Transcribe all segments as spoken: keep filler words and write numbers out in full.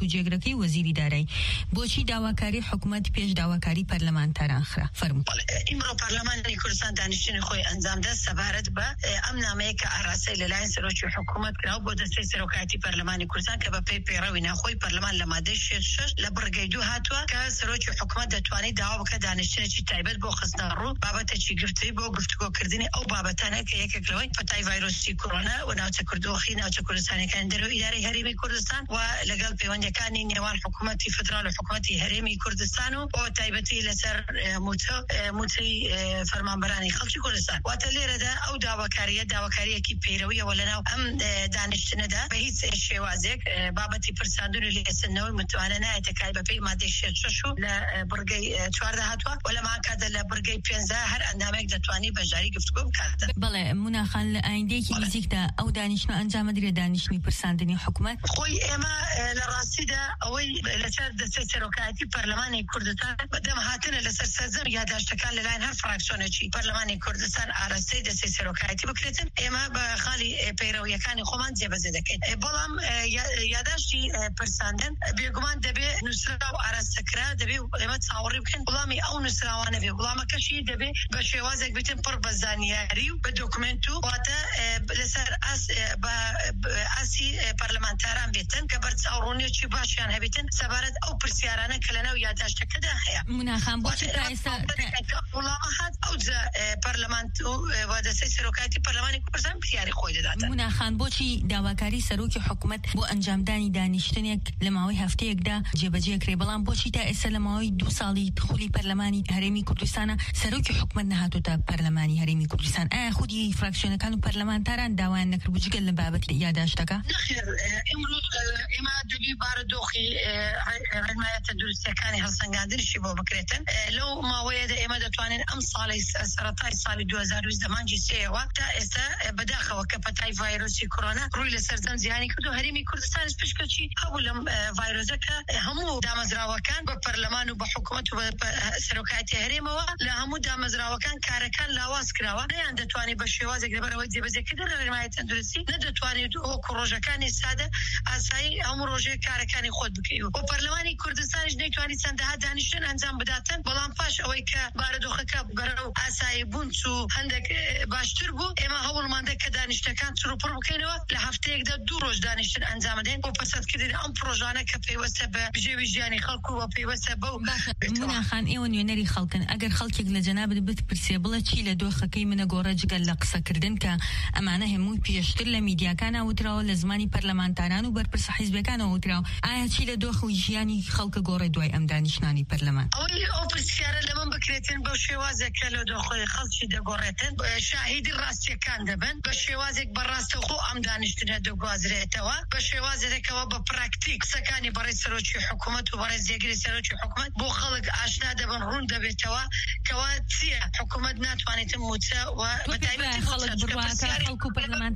و جێگرەکەی وەزیری دارایی. بۆچی داواکاری حکومەت پێش داواکاری پەرلەمانتاران خرا؟ فەرموو. بەڵێ، ئیمڕۆ پەرلەمانی کوردستان دانیشتنی خۆی ئەنجام دا سەبارەت بە، ئێ، ئەم نامەیە کە ئاراستەی لەلایەن سەرۆکی حکوومەت کراوە بۆ دەستەی سەرۆکایەتی پەرلەمانی کوردستان کە بە پێی پەیڕەوی ناوخۆی پەرلەمان لە مادەی شێست شەش لە بڕگەی دوو هاتووە کە سەرۆکی حکوومەت دەتوانێت داوا بکە دانیشتنێکی تایبەت بۆ خستنە ڕوو بابەتێکی گرفتی بۆ گفتوگۆکردنی ئەو بابەتانە کە یەکێک لەوەی پەتای ڤایرۆسی کۆرۆنا و ناوچە کوردۆخی، ناوچە کوردستانەکان دەرەوە ئیدارەی هەرێمی کوردستان و لەگەڵ پەیوەندیەکانی نێوان حکوومەتی فدرال و حکوومەتی هەرێمی کوردستان و بۆ تایبەتی لەسەر، ئێ، موچە، ئێ، موچەی، ئێ، فەرمانبەرانی خەڵکی کوردستان. واتە لێرەدا ئەو داواکاریە داواکاریەکی پەیرەویەوە لەناو ئەم، ئێ، دانیشتنەدا بە هیچ شێوازێک، ئێ، بابەتی پرساندن و لێسندنەوەی متمانە نایەتە کای بە پێی مادەی شێست شەش و لە، ئێ، بڕگەی، ئێ، چواردە هاتووە و لە مانکاتە لە بڕگەی پێنجە هەر ئەندامێک دەتوانی بەشداری گفتوگۆ بکاتە. بەڵێ، مناخان، لە ئایندەیەکی بەڵێ. نزیکدا ئەو دانیشتنە ئەنجامەدرێ دانیشتنی پرساندنی حکوومەت؟ خۆی ئێمە، ئێ، لە ڕاستیدا ئەوەی لەسەر دەستەی سەرۆکایەتی پەرلەمانی کوردستان بەدەم هاتنە لەسەر سەرجەم یاداشتەکان لەلایەن هەر فراکسیۆنێکی پەرلەمانی کوردستان ئاراستەی دەستەی سەرۆکایەتی بکرێتن. ئێمە بە خاڵی، ئێ، پەیڕەویەکانی خۆمان جێبەجێ دەکەین. ئێ، بەڵام، ئێ، یا-، یاداشتی، ئێ، پرساندن بێگومان دەبێ نووسراو ئاراستە کرا، دەبێ ئێمە چاوەڕی بکەین وەڵامی ئەو نووسراوانە بێ. وەڵامەکەشی دەبێ بە شێوازێک بێتن پڕ بە زانیاری و بە دۆکمنت و واتە، ئێ، لەسەر ئاس-، ئێ، بە، بە ئاسی، ئێ، پەرلەمانتاران بێتن کە بەرچاوڕوونیەکی باشیان هەبێتن سەبارەت ئەو پرسیارانە کە لەناو یاداشتەکەدا هەیە. مناخان، بۆچی واتە تا ئێستا ئێمە تا کە وەڵامە هات ئەو جا، ئێ، پەرلەمان و، ئێ، و دەستەی سەرۆکایەتی پەرلەمانی کوردستان پرسیاری خۆی دەداتن. مناخان، بۆچی داواکاری سەرۆکی حکوومەت بۆ ئەنجامدانی دانیشتنێک لە ماوەی هەفتەیەکدا جێبەجێ کرێ، بەڵام بۆچی تا ئێستا لە ماوەی دوو ساڵی دخولی پەرلەمانی هەرێمی کوردستانە سەرۆکی حکوومەت نەهاتۆتە پەرلەمانی هەرێمی کوردستان؟ ئایا خودی فراکسیۆنەکان و پەرلەمانتاران داوایان نەکرد بوو جگەل لە بابەتی یاداشتەکە؟ نەخێر، ئێ، ئیمڕۆ، ئێ، ئێمە دەبی بارە دۆخی، ئێ، ڕێ-، ڕێنمایە تەندروستیەکانی هەڵسەنگاندنشی بۆ بکرێتن. ئێ، لەو ماوەیەدا ئێمە دەتوانین ئەم ساڵی س-، سەرەتای ساڵی دوو هەزار و بیست دەمانجی سێەوە تا ئێستا، ئێ، بەداخەوە کە پەتای ڤایرۆسی کۆرۆنا ڕووی لە سەرجەم جیهانی کردو هەرێمی کوردستانیش پشکەکی هەبوو لەم، ئێ، ڤایرۆسە کە، ئێ، هەموو دامەزراوەکان بە پەرلەمان و بە حکوومەت و بە، بە سەرۆکایەتی هەرێمەوە لە هەموو دامەزراوەکان کارەکان لاواز کراوە. نەیان دەتوانێت بە شێوازێک لەبەرەوەی جێبەجێکردن لە ڕێنمایە تەندروستی نەدەتوانێت وەکو ڕۆژەکانی سادە ئاسایی هەموو ڕۆژێک کارەکانی خۆت بکەی و پەرلەمانی کوردستانیش نەیتوانی چەندەها دانیشتن ئەنجام بداتن. بەڵام پاش ئەوەی کە بارەدۆخەکە بەرەو ئاسایی بوون چوو هەندێک، ئێ، باشتر بوو، ئێمە هەوڵمان دا کە دانیشتەکان چڕوپڕ بکەینەوە، لە هەفتەیەکدا دوو ڕۆژ دانیشتن ئەنجام بدەین بۆ پەسەندکردنی ئەم پرۆژانە کە پەیوەستە بە بژێوی ژیانی خەڵک و بە پەیوەستە بەو باشە، بێتەوە. مناخان، ئێوە نوێنەری خەڵکن. ئەگەر خەڵکێک لە جەنابت بتپرسێ، بڵێ چی لە دۆخەکەی منە گۆڕە جگەل لە قسەکردن کە ئەمانە هەمووی پێشتر لە میدیاکان ئاوتراوە، لە زمانی پەرلەمانتاران و بەرپرسە حیزبەکان ئاوتراوە، ئایا چی لە دۆخ و ژیانی خەڵکە گۆڕێ دوای ئەم دانیشتنانی پەرلەمان؟ ئەوەی ئەو پرسیارە لە من بکرێتن بەو شێوازێک کە لە دۆخی خەڵکی دەگۆڕێتن، شاهیدی ڕاستیەکان دەبن، بە شێوازێک بەڕاستەوخۆ ئەم دانیشتنە دەگوازرێتەوە، بە شێوازێکەوە بە پراکتیک قسەکانی بەڕێز سەرۆکی حکوومەت و بەڕێز جێگری سەرۆکی حکوومەت بۆ خەڵک ئاشنا دەبن، ڕوون دەبێتەوە کەوا چییە حکوومەت ناتوانێتن موچە و تۆ پێت وایە خەڵک بڕوا کە خەڵک و پەرلەمان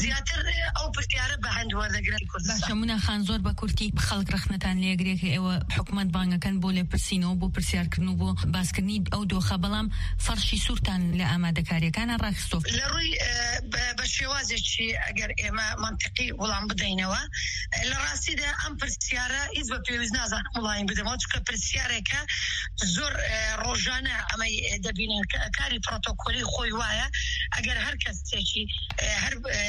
زیاتر ئەو پرسیارە بە هەند وەردەگرن کوردستان. باشە، مناخان، زۆر بە کورتی، خەڵک ڕەخنەتان لێگرێ کە ئێوە حکوومەت بانگەکەن بۆ لێپرسینەوە، بۆ پرسیارکردن و بۆ باسکردنی ئەو دۆخە، بەڵام فەرشی سوورتان لە ئامادەکاریەکانە ڕاخستۆ. لە ڕووی، ئێ، بە، بە شێوازێکی ئەگەر ئێمە منتیقی وەڵام بدەینەوە، لە ڕاستیدا ئەم پرسیارە هیچ بە پێویست نازانم وەڵامی بدەمەوە، چونکە پرسیارێکە زۆر، ئێ، ڕۆژانە ئەمەی، ئێ، دەبینین کە کاری پرۆتۆکۆلی خۆی وایە، ئەگەر هەر کەسێکی، ئێ، هەر، ئێ،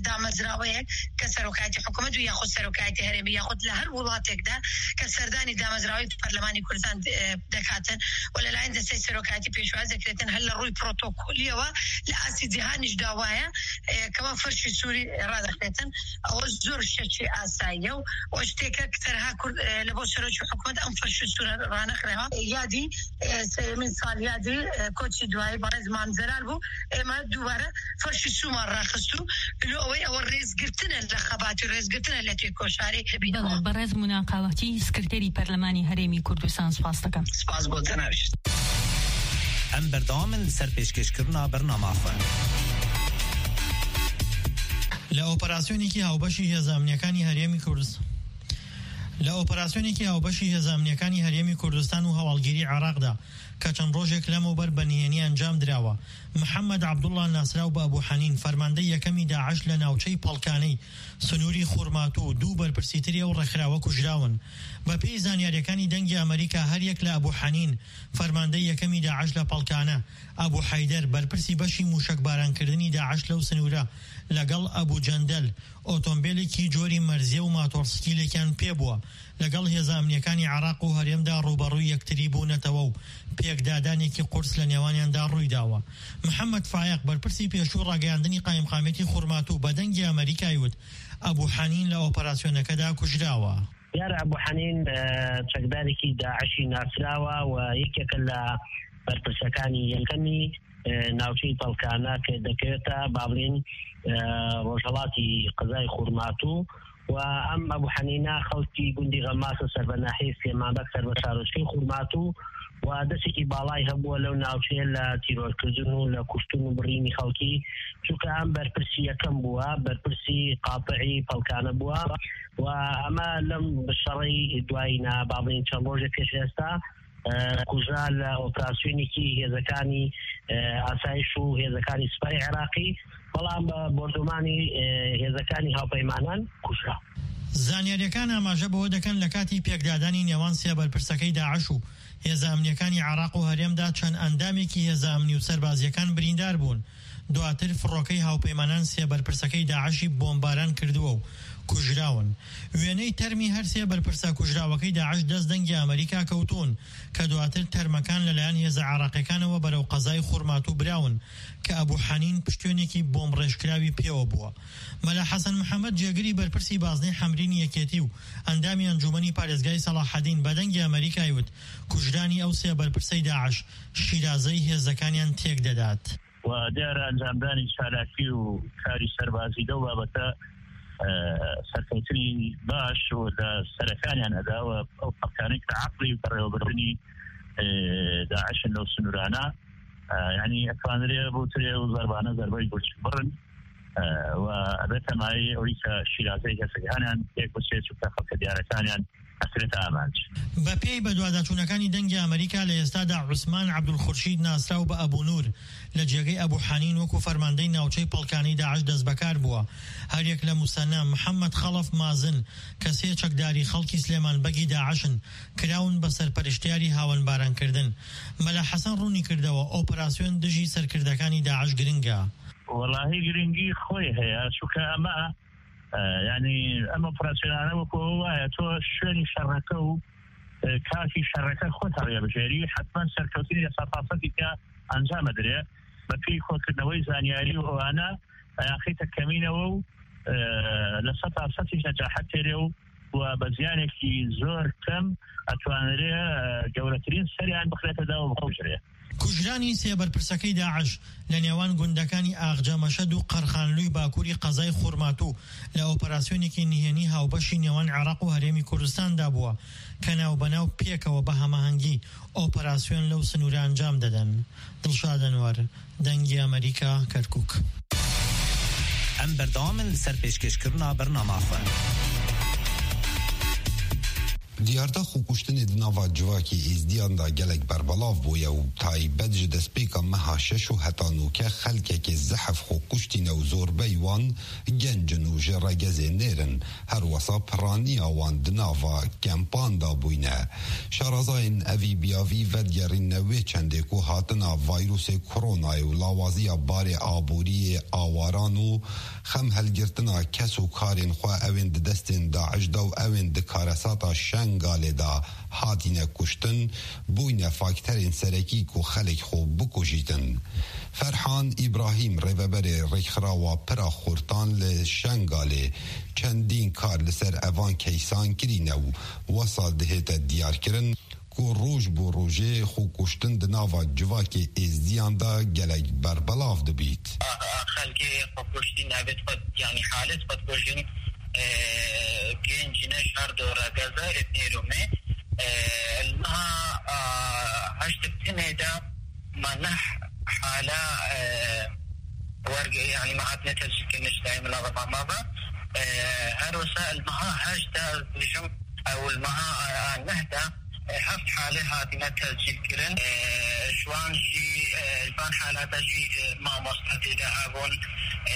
دامەزراوەیەک کە سەرۆکایەتی حکوومەت و یاخود سەرۆکایەتی هەرێمی یاخود لە هەر وڵاتێکدا کە سەردانی دامەزراوەی پەرلەمانی کوردستان، ئێ، دەکاتن و لەلایەن دەستەی سەرۆکایەتی پێشواز دەکرێتن، هەر لە ڕووی پرۆتۆکۆلیەوە لە ئاستی جیهانیش داوایە، ئێ، کەوا فەرشی سووری ڕادەخرێتن. ئەوە زۆر شتێکی ئاساییە و ئەو شتێکە کە تەنها کورد، ئێ، لە بۆ سەرۆکی حکوومەت ئەم فەرشی سوورە ڕانەخرێەوە. یادی، ئێ، سێیەمین ساڵ یادی، ئێ، کۆچی دوایی بەڕێز مام جەلال بوو. ئێمە دووبارە فەرشی سوومان ڕاخست و لۆ ئەوەی ئەوە ڕێزگرتنە لە خەباتی، ڕێزگرتنە لە تێکۆشاری بەڵێ، دەبینەوە. بەڕێز مناقاوەتی سکرتێری پەرلەمانی هەرێمی کوردستان سپاس دەکەم. سپاس بۆ جەنابیشت. ئەم بەردەوامن لەسەر پێشکەشکردنا بەرنامە خۆ. لە ئۆپەراسیۆنێکی هاوبەشی هێزە ئەمنیەکانی هەرێمی کوردستان، لە ئۆپەراسیۆنێکی هاوبەشی هێزە ئەمنیەکانی هەرێمی کوردستان و هەواڵگیری عێراقدا کە چەند ڕۆژێک لەمەوبەر بە نهێنی ئەنجام دراوە، محەممەد عەبدوڵڵا ناسراو بە ئەبو حەنین، فەرماندەی یەکەمی داعش لە ناوچەی پەڵکانەی سنووری خورماتوو، دوو بەرپرسی تری ئەو ڕێکخراوە کوژراون. بە پێی زانیاریەکانی دەنگی ئەمریکا، هەر یەک لە ئەبو حەنین، فەرماندەی یەکەمی داعش لە پەڵکانە، ئەبو حەیدەر، بەرپرسی بەشی موشەک بارانکردنی داعش لەو سنوورە، لەگەڵ ئەبو جەندەل، ئۆتۆمبیلێکی جۆری مەرزیە و ماتۆڕسکیلێکیان پێ بووە. لەگەڵ هێزە ئەمنیەکانی عێراق و هەرێمدا ڕوبەڕووی یەکتری بوونەتەوە و پێکدادانێکی قورس لە نێوانیاندا ڕوویداوە. محەممەد فایەق، بەرپرسی پێشوو ڕاگەیاندنی قایمقامێتی خورماتوو، بە دەنگی ئەمریکای وت، ئەبو حەنین لە ئۆپەراسیۆنەکەدا کوژراوە. دیار ئەبو حەنین، ئە، چەکدارێکی داعشی ناسراوە و یەکێکە لە بەرپرسەکانی یەکەمی، ئە، ناوچەی پەڵکانە کە دەکەوێتە، با بڵێن، ئە، ڕۆژهەڵاتی قەزای خورماتوو. و ئەم ئەبو حەنینە خەڵکی گوندی غەماسە، سەر بە ناحیەی سلێمانبەگ، سەر بە شارۆچکەی خورماتوو، و دەستێکی باڵای هەبووە لەو ناوچەیە لە تیرۆرکردن و لە کوشتن و بڕینی خەڵکی، چونکە ئەم بەرپرسی یەکەم بووە، بەرپرسی قاتعی پەڵکانە بووە. و ئەمە لەم شەڕەی دوایینا، با بڵێن چەند ڕۆژێک پێش ئێستا، ئە، کوژرا لە ئۆپراسیۆنێکی هێزەکانی، ئە، ئاسایش و هێزەکانی سوپای عێراقی، بەڵام بە بۆردومانی، ئە، هێزەکانی هاوپەیمانان کوژرا. زانیاریەکان ئاماژە بەوە دەکەن، لە کاتی پێکدادانی نێوان سێ بەرپرسەکەی داعش و هێزە ئەمنیەکانی عێراق و هەرێمدا، چەند ئەندامێکی هێزە ئەمنی و سەربازیەکان بریندار بوون. دواتر فڕۆکەی هاوپەیمانان سێ بەرپرسەکەی داعشی بۆمباران کردووە و کوژراون. وێنەی تەرمی هەر سێ بەرپرسە کوژراوەکەی داعش دەست دەنگی ئەمریکا کەوتون، کە دواتر تەرمەکان لەلایەن هێزە عێراقیەکانەوە بەرەو قەزای خورماتوو براون، کە ئەبو حەنین پشتوێنێکی بۆمب ڕێژکراوی پێوە بووە. مەلا حەسەن محەممەد، جێگری بەرپرسی بازنەی حەمرینی یەکێتی و ئەندامی ئەنجومەنی پارێزگای سەڵاحەدین، بە دەنگی ئەمریکای وت، کوژرانی ئەو سێ بەرپرسەی داعش شیرازەی هێزەکانیان تێک دەدات. و دیارە ئەنجامدانی چالاکی و کاری سەربازی لەو بابەتە، ئە، سەرکەوتنی باش و لە سەرەکانیان ئەدا و ئەو خەڵکانەی کە عەقڵی بەڕێوەبردنی، ئە، داعشن لەو سنوورانە، ئە، یعنی ئەتوانرێ بوترێ و زەربانە زەربەی گورچ بڕن، ئە، و ئەبێتە مایەی ئەوەی کە شیرازەی هێزەکانیان تێک بچێت، چونکە خەڵکە دیارەکانیان ئەکرێتە ئامانج. بە پێی بەدواداچوونەکانی دەنگی ئەمریکا، لە ئێستادا عوسمان عەبدولخورشید، ناسراو بە ئەبو نور، لە جێگەی ئەبو حەنین وەکو فەرماندەی ناوچەی پەڵکانەی داعش دەست بەکار بووە. هەریەک لە موسەنا، محەممەد خەڵەف مازن، کە سێ چەکداری خەڵکی سلێمان بەگی داعشن، کراون بە سەرپەرشتیاری هاوەن بارانکردن. مەلا حەسەن ڕوونی کردەوە، ئۆپەراسیۆن دژی سەرکردەکانی داعش گرنگە. وەڵاهی گرنگی خۆی هەیە، چونکە ئەمە، ئە، یعنی ئەم ئۆپەراسیۆنانە وەکو ئەوە وایە تۆ شوێنی شەڕەکە و، ئە، کاتی شەڕەکە خۆت هەڵێبژێری، حتمما سەرکەوتنی لە سەد پانسەدی کە ئەنجام ئەدرێ. بە پێی کۆکردنەوەی زانیاری و ئەوانە، ئەیانخیتە کەمینەوە و، ئە، لە سەد پانسەدیش نەجاحەت تێرێ و، و بە زیانێکی زۆر کەم ئەتوانرێ، ئە، گەورەترین سەریان بخرێتە دا و بکوژرێ. کوژرانی سێ بەرپرسەکەی داعش لە نێوان گوندەکانی ئاغجە مەشەد و قەرخانلووی باکووری قەزای خورماتوو لە ئۆپەراسیۆنێکی نهێنی هاوبەشی نێوان عێراق و هەرێمی کوردستاندا بووە، کە ناو بەناو پێکەوە بە هەماهەنگی ئۆپەراسیۆن لەو سنوورە ئەنجام دەدەن. دڵشاد ئەنوەر، دەنگی ئەمریکا، کەرکووک. Em berdewam in li ser pêşkêşkirina bernama xwe. Diyarda xwekuştinê di nava civakê Êzdiyan de gelek berbelav bûye û taybet ji destpêka meha şeş û heta nûke xelkekê zehf xwe kuştîne û zorbey wan genc in û ji regezê nêr in. Her wesa piraniya wan di nava kempan de bûyne. Şarazayên evî biyavî vedigerîne wê çendê ku hatina vayrûsê koronayê û lawaziya barê aboriyê awaran û xem helgirtina kes û karên xwe ewên di destên DAIŞ de û ewên di karesata Şengalê de hatine kuştin, bûyne fakterên serekî ku xelek xwe bikujîtin. Ferhan Îbrahîm, rêveberê Rêkxirawa Pira Xurtan li Şengalê, çendîn kar li ser evan keysan kirîne û wesa dihête diyarkirin ku roj bo rojê xwekuştin di nava civakê Êzdiyan de gelek berbelav dibît. Xelkê xwekuştî navêt xwe, yanî halêt xwe dikujin, e, genc ne ji her du regeza êt nêr û mê. E, li meha, a, heşt û tinê de me neh hala, e, werge, yanî me hatine tescîlkirin ji dayê min a Remamava. E, her wisa li meha heşt de ez dibêjim, Ew li meha a neh de, e, heft halê hatine tescîlkirin. E, ji wan jî, e, ji van halata jî, e, mamoste tê de hebûn, e,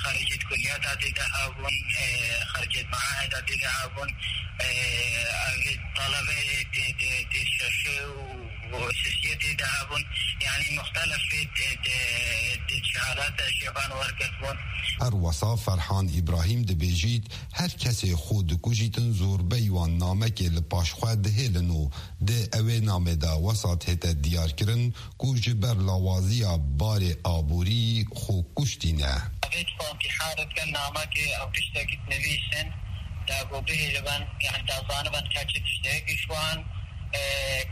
xericêt kulliyata tê de hebûn, e, xericêt meaheda tê de hebûn, e, ev talebeyê dê, dê, dê şeşê û û sisiyetê de hebûn, yanî muxtelefê di, di, di şehadata jê van wergirt bûn. Her wesa Ferhan Îbrahîm dibêjît, her kesê xwe dikujîtin zorbey wan namekê li paş xwe dihêlin û di ewê namê de wesa dihête diyarkirin ku ji ber lawaziya barê aborî xwe kuştîne. Evê dixwin intîhar bikin, namekê ew tiştekî dinivîsin, da ku bihêlibin, yani da zanibin ke çi tiştekî ji wan, e,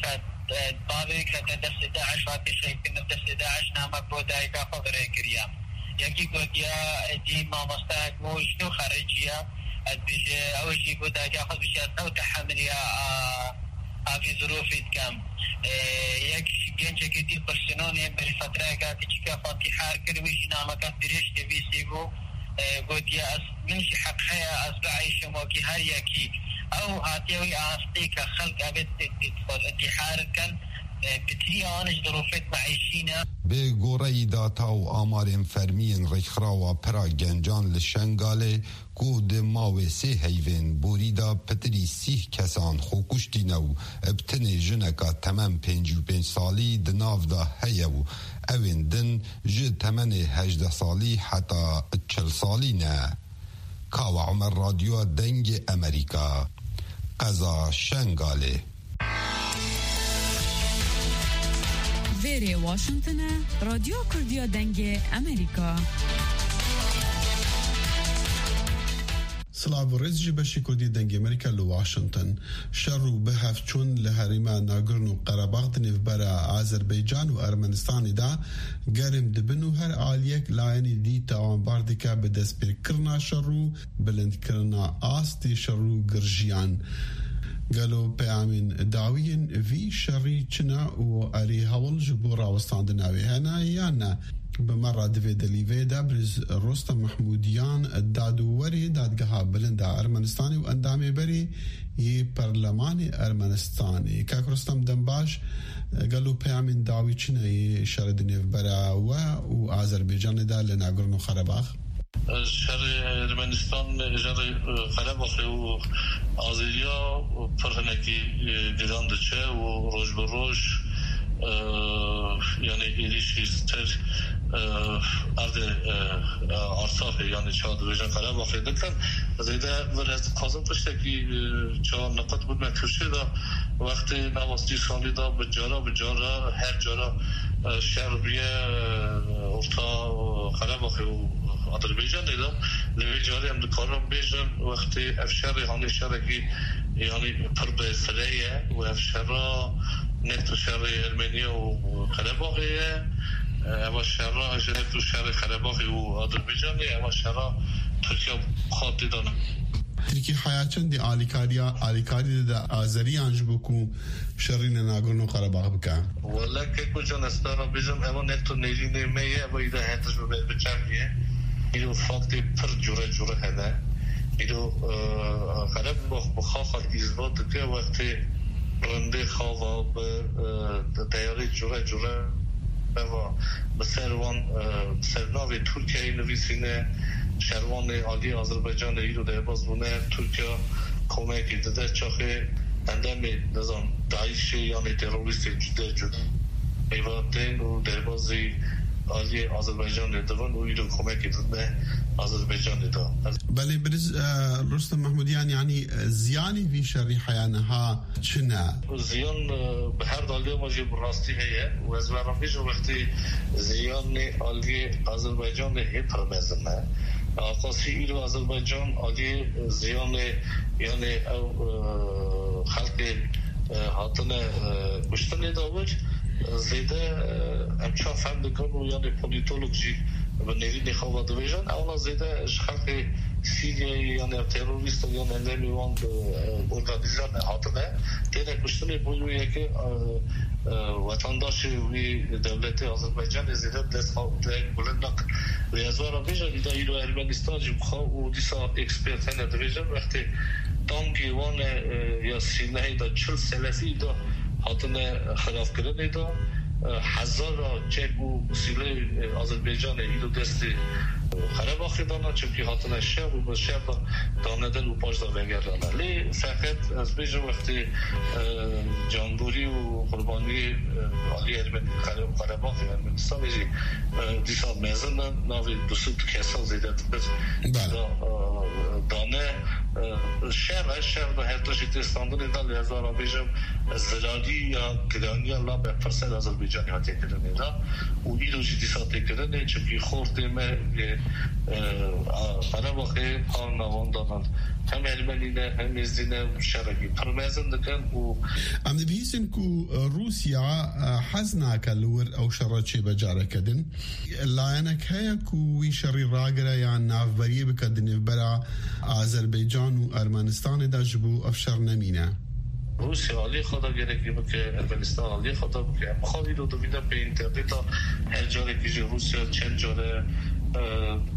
ke, e, bavê kete destê DAIŞ, hatî şehîdkirin destê DAIŞ, namek bo dayika xwe virêkiriye. Yekî gotiya, e, dî mamostayek bû, ji nû xericiya, ez bêje, ew jî bo dayika xwe bêje, ez ew tehemiliya, a, a vî zirûfî dikim. E, yek gencekî dî kursinonê berî fetreyeka kiçîka xwe intîhar kir, wî jî nameka dirêj nivîsî bû. E, gotiye, ez, min jî heq heye ez bieyşim wekî her yekî. Ew hatiye wî astê ke xelk evê intîhar dikin, e, bi tirî an ji zirûfê dimeeyşîne. Bi goreyî data û amarên fermî yên Rêkxirawa Pira Gencan li Şengalê, ku di mawê sê heyvên borî de pitirî sîh kesan xwe kuştîne û bi tinê jineka temem pêncî û pênc salî di nav de heye û ewên din ji temenê hejdeh salî heta çil salî ne. Kawa Omer, Radyoya Dengê Emerîka, qeza Şengalê. Vêrê Washington e, Radyo Kurdiya Dengê Emerîka. Silav û rêz ji beşê Kurdî Dengê Amerîka li Washington. Şer û bihevçûn li herêma Nagorno Qerebax di nêvbera Azerbaycan û Ermenistanê de germ dibin û her aliyek layenê dî tawanbar dike bi destpêkirina şer û bilindkirina astê şer û girjiyan. Gelo peyamên dawî yên vî şerî çi ne û erê hewl ji bo rawestandina wê hene yan ne? Bi me re di vê delîvê de birêz Rostem Mehmûdiyan, dadwerê Dadgeha Bilind a Ermenistanê û endamê berê yê Perlemanê Ermenistanê. Kak Rostem, dem baş, gelo peyamên dawî çi ne yê şerê di nêvbera we û Azerbaycanê de li Nagorno Qerebax? Şerê Ermenistan, şerê, e, Qerebaxê û Azeriya pir hinekî, e, giran diçe û roj bi roj, e, yanî êrîşî ser, e, erdê, e, e, Arsafê, yanî çawa dibêjin Qerebaxê dikin. Zêde vir ez dixwazim tiştekî, e, çawa niqit bidime kifşê de, wextê nava sî salî de bi cara bi cara, her cara, e, şer bûye, e, orta, e, Qerebaxê û Azerbaycanê de. Li vê carê em dikarin bêjin, wextê ev şerê hanê şerekî, yanî pir bi fire ye û ev şera ne tu şerê Ermeniya û Qerebaxê ye. Eva şera ji ne tu şerê Qerebaxê û Azerbaycanê, eva şera Tirkiye xwe tê de ne. Tirkî heya çendî alîkariya, alîkarî dide Azeriyan ji bo ku şerî li Nagorno Qerebax bike? Wele keko can, ez te re bêjim, eva ne tu nêrînê me ye, eva îda hetiş bi ber biçav ye. Îro faktê pir cure cure hene. Îro, e, Qerebax bi xaxa îzbat dike, wextê rindê xava bi, e, teyarê cure cure eva bi ser wan, e, bi ser navê Tirkiyeyê nivîsîne, şervanê aliyê Azerbaycanê îro derbaz bûne, Tirkiye komekê dide çaxê endamê, nizam, DAIŞê yanê terorîstê cude cude mêva tên û derbazî aliyê Azerbaycanê dibin û îro komekê didine Azerbaycanê de. Belê, birêz, e, Rustem Mehmûdiyan, yanî, e, ziyanê vî şerî heya niha çi ne? Ziyan, e, bi her daliya me jî bi rastî heye û ez ve re bêjim wextê ziyanê aliyê Azerbaycanê hê pir mezin e. Aqasî îro Azerbaycan aliyê ziyanê, yanê ew, e, xelkê, e, hatine, e, kuştinê de wir, e, zêde, e, em çawa fehm dikin û yanê polîtolog jî bi nêrînê xwe ve dibêjin, ewna zêde ji xelkê Sîriyeyê yan ev terorîst in yan endamê wan bi, e, organîze ne hatine. Têne kuştinê bo wê yekê, e, e, wetandaşê wî dewletê Azerbaycanê zêde dest xwe dayek bilind nakin. Lê ez wara bêjim, îda îro Ermenistan jî bi xwe û dîsa ekspert hene dibêjin, wextê Tankê wan e, e, ya sînehê de çil selesî de hatine xirabkirinê de, e, hezara çek û sîlê, e, Azerbaycanê îro destê, e, Qerebaxê dana, çimkî hatine şer û bi şer de danedin û paş de vegerane. Lê feqet ez bêjim wextê, e, canborî û qurbaniyê, e, alî Ermenî, Qere-, Qerebaxê Ermenistanê jî, e, dîsa mezin in, navê du sed kesa zêdetir Bele. da, e, dane. E, şer e, şer de her tiştî tê standinê de, lê ez ara bêjim, zirarî ya giraniya la berpirsel Azerbaycanê hatiye kirinê de û îro jî dîsa tê kirinê, çimkî xortê me, e, e, a, Qerebaxê, parna wan danan. Hem Ermenî ne, hem Êzdî ne, şerekî pir mezin dikin û Em dibihîstin ku Rûsya, e, hez nake li wir ew şerre çêbe careke din. Layenek heye ku wî şerî ragire yan navberiyê bike di nêvbera Azerbaycan û Ermenistanê de ji bo ev şer nemîne. Rûsya alî xwe de gerekî bike, Ermenistan alî xwe de bike. Em xwe îro dibîne pê înterneta, her carekî jî Rûsya çend care, e,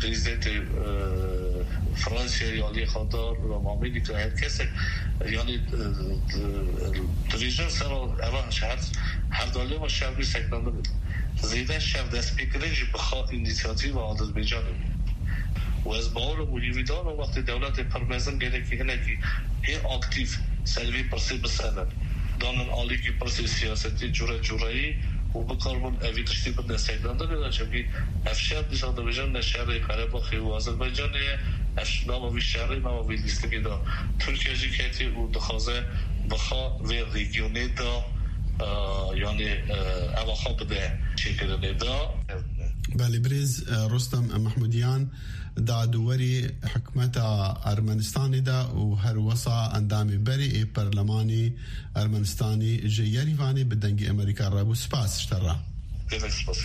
prezidentê, e, Fransayê alî xwe de, Amerîka, her kesek, yanî, e, e, dibêjin ser eva her, her dalê ve şer bî seknandin. Zêde şer destpêkirin jî bi xwe înîsiyatîfa Azerbaycanê bû. Û ez bawer im û hîvîdar im wextê dewletê pir mezin gerekî hinekî hê aktîf ser vê pirsê bisenin. Danin alîkî pirsê siyasetî cure cureyî û bikaribin evî tiştî bidine seknandinê de, çimkî ev şer dîsa dibêjin ne şerê Qerebaxê û Azerbaycanê ye, ev ş-, nava vî şerê, nava vî lîstikê de Tirkiye jî ketî û dixwaze bi xwe vê rejîmê de, e, yanî, e, eva xwe bide çêkirinê de. Belê, birêz, e, Rostem Mehmudiyan, dadûwerê hikûmeta Ermenistanê de û her wisa endamê berê ê Perlemanê Ermenistanê ji Yerîvanê bi Dengê Amerîka re bû. Spas ji te re. Gelek spas.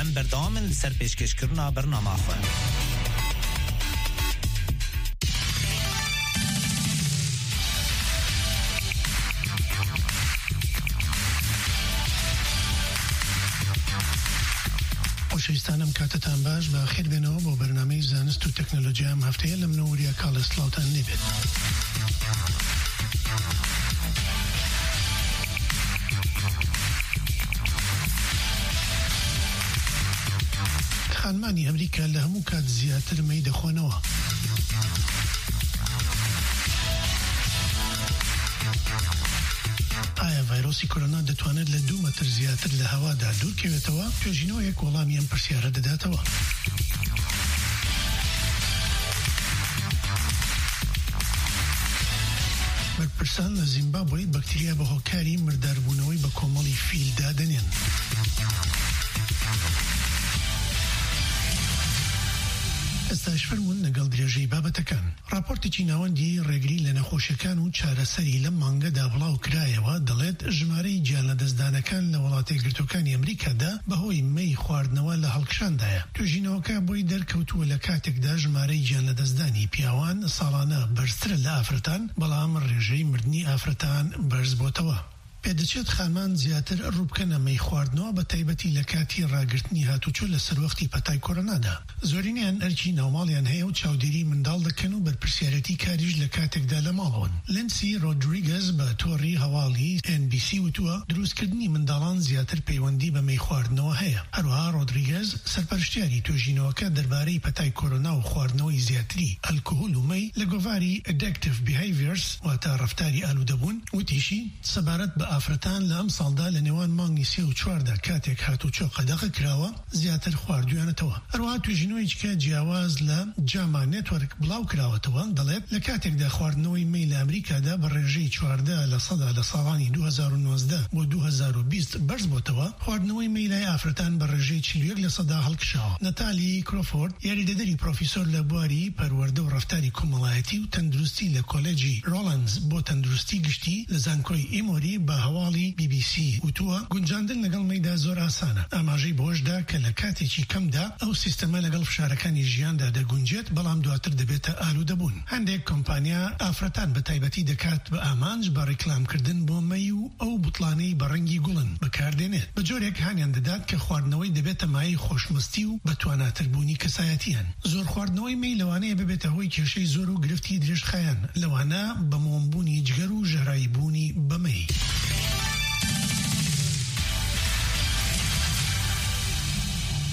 Em berdewam in li ser pêşkêşkirina bernama xwe. خۆشەویستان، ئەم کاتتان باش، بە خێر بێنەوە بۆ بەرنامەی زانست و تەکنەلۆجیا. ئەم هەفتەیە لە من و وریا کاڵێ سڵاوتان لێبێت. خانمانی ئەمریکا لە هەموو کات زیاتر مەی دەخۆنەوە. ئایا ڤایرۆسی کۆرۆنا دەتوانێت لە دوو مەتر زیاتر لە هەوادا دوورکەوێتەوە؟ توێژینەوەیەک وەڵامی ئەم پرسیارە دەداتەوە. بەرپرسان لە زیمبابوەی بەکتریا بە هۆکاری مرداربوونەوەی بە کۆمەڵی فیل دادەنێن. ئێستاش فەرموون لەگەڵ درێژەی بابەتەکان. راپۆرتێکی ناوەندی ڕێگری لە نەخۆشیەکان و چارەسەری لەم مانگەدا بڵاو کرایەوە، دەڵێت ژمارەی گیان لەدەستدانەکان لە وڵاتە یەکگرتوەکانی ئەمریکادا بەهۆی مەی خواردنەوە لە هەڵکشاندایە. توێژینەوەکە بۆی دەرکەوتووە لە کاتێکدا ژمارەی گیان لەدەستدانی پیاوان ساڵانە بەرزترە لە ئافرەتان، بەڵام ڕێژەی مردنی ئافرەتان بەرز بۆتەوە. پێدەچێت خانمان زیاتر ڕووبکەنە مەی خواردنەوە، بە تایبەتی لە کاتی ڕاگررتنی هاتوچۆ لە سەروەختی پەتای کۆرۆنادا. زۆرینەیان ئەرکی ناوماڵیان هەیە و چاودێری منداڵ دەکەن و بەرپرسیارەتی کاریش لە کاتێکدا لە ماڵەوەن. لینسی ڕۆدریگەز بە تۆڕی هەواڵی ئێن بی سی وتووە، دروستکردنی منداڵان زیاتر پەیوەندی بە مەی خواردنەوە هەیە. هەروەها ڕۆدریگەز، سەرپەرشتیاری توێژینەوەکە دەربارەی پەتای کۆرۆنا و خواردنەوەی زیاتری ئەلکۆهۆل و مەی، لە گۆڤاری Addictive Behaviors، واتە ڕەفتاری ئالوودەبوون، وتیشی، سەبارەت بە ئافرەتان، لە ئەم ساڵدا لە نێوان مانگی سێ و چواردا، کاتێک هاتوچۆ قەدەغە کراوە، زیاتر خواردویانەتەوە. هەروەها توێژینەوەیەکی جیاواز لە جاما نێتوەرک بڵاو کراوەتەوە، دەڵێت لە کاتێکدا خواردنەوەی مەی لە ئەمریکادا بە ڕێژەی چواردە لە سەدا لە ساڵانی دوو هەزار و نۆزدە بۆ دوو هەزار و بیست بەرز بۆتەوە، خواردنەوەی مەی لای ئافرەتان بە ڕێژەی چل و یەک لە سەدا هەڵکشاوە. نەتالی کرۆفۆرد، یاریدەدەری پرۆفیسۆر لە بواری پەروەردە و ڕەفتاری کۆمەڵایەتی و تەندروستی لە کۆلێجی ڕۆڵەنز بۆ تەندروستی گشتی لە زانکۆی ئیمۆری، بە هەواڵی بی بی سی وتووە، گونجاندن لەگەڵ مەیدا زۆر ئاسانە. ئاماژەی بەوەشدا کە لە کاتێکی کەمدا ئەو سیستەمە لەگەڵ فشارەکانی ژیاندا دەگونجێت، بەڵام دواتر دەبێتە ئالوودەبوون. هەندێک کۆمپانیا ئافرەتان بە تایبەتی دەکات بە ئامانج بە ڕیکلامکردن بۆ مەی و ئەو بوتڵانەی بە ڕەنگی گوڵن بەکاردێنێت، بە جۆرێک هانیان دەدات کە خواردنەوەی دەبێتە مایەی خۆشمەستی و بە تواناتربوونی کەسایەتیان. زۆر خواردنەوەی مەی لەوانەیە ببێتە هۆی کێشەی زۆر و گرفتی درێژخایەن، لەوانە بەمۆمبوونی جگەر و ژەهراویبوونی بە مەی.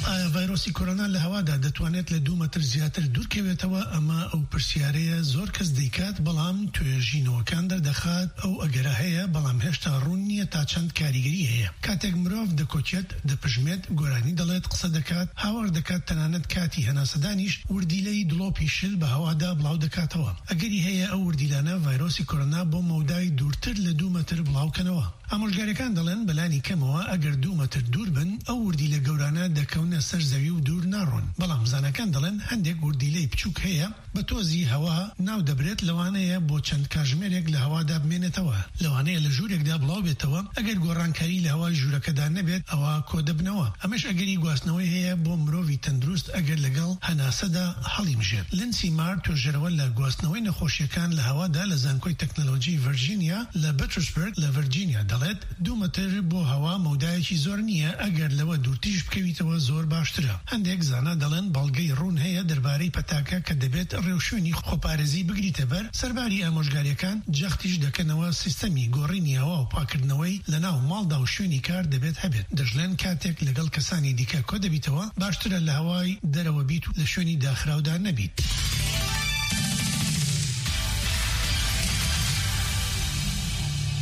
ئایا ڤایرۆسی کۆرۆنا لە هەوادا دەتوانێت لە دوو مەتر زیاتر دوورکەوێتەوە؟ ئەمە ئەو پرسیارەیە زۆر کەس دەیکات، بەڵام توێژینەوەکان دەردەخات ئەو ئەگەرە هەیە، بەڵام هێشتا ڕوون نییە تا چەند کاریگەری هەیە. کاتێک مرۆڤ دەکۆچێت، دەپژمێت، گۆرانی دەڵێت، قسە دەکات، هاوار دەکات، تەنانەت کاتی هەناسەدانیش وردیلەی دڵۆپی شل بە هەوادا بڵاو دەکاتەوە. ئەگەری هەیە ئەو وردیلانە ڤایرۆسی کۆرۆنا بۆ مەودای دوورتر لە دوو مەتر بڵاوکەنەوە. ئامۆژگاریەکان دەڵێن بەلانی کەمەوە ئەگەر دوو مەتر دوور بن، ئەو وردیلە گەورانە دەکەونە سەر زەوی و دوور ناڕۆن. بەڵام زانەکان دەڵێن هەندێک وردیلەی بچووک هەیە بە تۆزی هەوا ناو دەبرێت، لەوانەیە بۆ چەند کاژمێرێک لە هەوادا بمێنێتەوە، لەوانەیە لە ژوورێکدا بڵاو بێتەوە. ئەگەر گۆڕانکاری لە هەوای ژوورەکەدا نەبێت، ئەوە کۆ دەبنەوە. ئەمەش ئەگەری گواستنەوەی هەیە بۆ مرۆڤی تەندروست ئەگەر لەگەڵ هەناسەدا هەڵیمژێت. لینسی مار، توێژەرەوە لە گواستنەوەی نەخۆشیەکان لە هەوادا لە زانکۆی تەکنەلۆژی ڤەرجینیا لە بەترسبرگ لە ڤەرجینیا، دەڵێت، دوو مەتر بۆ هەوا مەودایەکی زۆر نییە، ئەگەر لەوە دوورتریش بکەویتەوە زۆر باشترە. هەندێک زانا دەڵێن بەڵگەی ڕوون هەیە دەربارەی پەتاکە کە دەبێت ڕێوشوێنی خۆپارێزی بگریتە بەر. سەرباری ئامۆژگاریەکان، جەختیش دەکەنەوە سیستەمی گۆڕینی هەوا و پاکردنەوەی لە ناو ماڵدا و شوێنی کار دەبێت هەبێت. دەژڵێن کاتێک لەگەڵ کەسانی دیکە کۆ دەبیتەوە، باشترە لە هەوای دەرەوە بیت و لە شوێنی داخراودا نەبیت.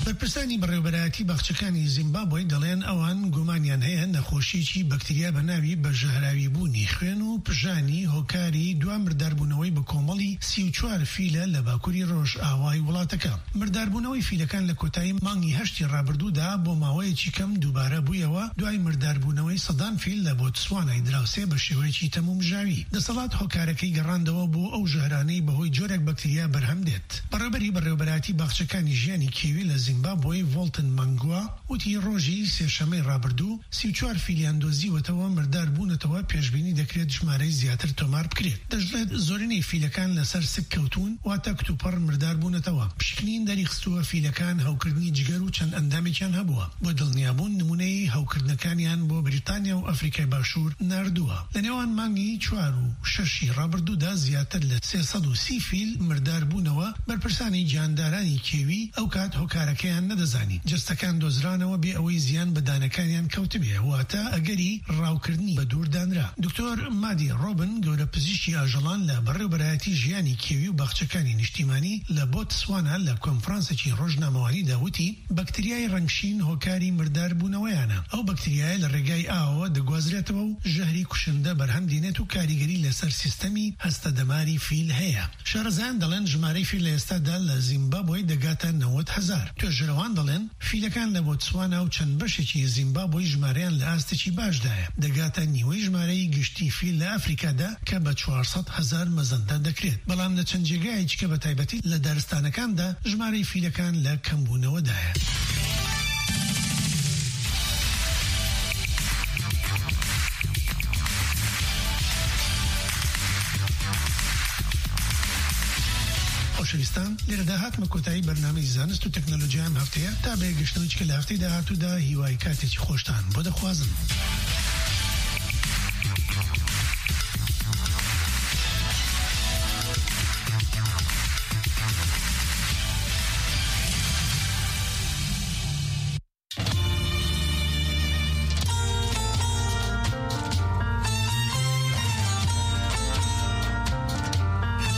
بەرپرسانی بەڕێوەبەرایەتی باخچەکانی زیمبابوی دەڵێن ئەوان گومانیان هەیە نەخۆشیەکی بەکتریا بە ناوی بەژەهراویبوونی خوێن و پژانی هۆکاری دوا مرداربوونەوەی بە کۆمەڵی سی و چوار فیلە لە باکووری ڕۆژ ئاوای وڵاتەکە. مرداربوونەوەی فیلەکان لە کۆتایی مانگی هەشتی ڕابردوودا بۆ ماوەیەکی کەم دووبارە بوویەوە، دوای مرداربوونەوەی سەدان فیل لە بۆتسوانای دراوسێ بە شێوەیەکی تەمومژاوی. دەسەڵات هۆکارەکەی گەڕاندەوە بۆ ئەو ژەهرانەی بەهۆی جۆرێک بەکتریا بەرهەم دێت. بەڕێوەبەری بەڕێوەبەرایەتی باخچەکانی ژیانی کێوی لە زیمبابوی، ڤۆڵتن مانگوا، وتی ڕۆژی سێشەممەی ڕابردوو سی و چوار فیلیان دۆزیوەتەوە، مردار بوونەتەوە، پێشبینی دەکرێت ژمارەی زیاتر تۆمار بکرێت. دەژڵێت زۆرینەی فیلەکان لەسەر سک کەوتون، واتە کتوپڕ مردار بوونەتەوە. پشکنین دەریخستووە فیلەکان هەوکردنی جگەر و چەند ئەندامێکیان هەبووە. بۆ دڵنیابوون نمونەی هەوکردنەکانیان بۆ بریتانیا و ئەفریقای باشوور ناردووە. لە نێوان مانگی چوار و شەشی ڕابردوودا زیاتر لە سێ سەد و سی فیل مردار بوونەوە. بەرپرسانی گیاندارانی کێوی ئەو کات هۆکارەکەیان نەدەزانی. جەستەکان دۆزرانەوە بێ ئەوەی زیان بە دانەکانیان کەوتبێ، واتە ئەگەری ڕاوکردنی بە دوور دانرا. دکتۆر مادی ڕۆبن، گەورە پزیشکی ئاژەڵان لە بەڕێوەبەرایەتی ژیانی کێوی و باخچەکانی نیشتیمانی لە بۆتسوانا، لە کۆنفرانسێکی ڕۆژنامەوانیدا وتی، بەکتریای ڕەنگشین هۆکاری مردار بوونەوەیانە. ئەو بەکتریایە لە ڕێگای ئاوەوە دەگوازرێتەوە و ژەهری کوشندە بەرهەم دێنێت و کاریگەری لەسەر سیستەمی هەستە دەماری فیل هەیە. شارەزایان دەڵێن ژمارەی فیل لە ئێستادا لە زیمبابوی دەگاتە نەوەد هەزار. توێژەرەوان دەڵێن فیلەکان لە بۆتسوانا و چەند بەشێکی زیمبابوی ژمارەیان لە ئاستێکی باشدایە، دەگاتە نیوەی ژمارەی گشتی فیل لە ئەفریکادا کە بە چوار سەد هەزار مەزەندە دەکرێت. بەڵام لە چەند جێگایەکی کە بە تایبەتی لە دارستانەکاندا ژمارەی فیلەکان لە کەمبوونەوەدایە. خۆشەویستان، لێرەدا هاتمە کۆتایی بەرنامەی زانست و تەکنەلۆژیای ئەم هەفتەیە. تا بەیەکگەشتنەوەی چکە لە هەفتەی داهاتوودا، هیوای کاتێکی خۆشتان بۆ دەخوازم.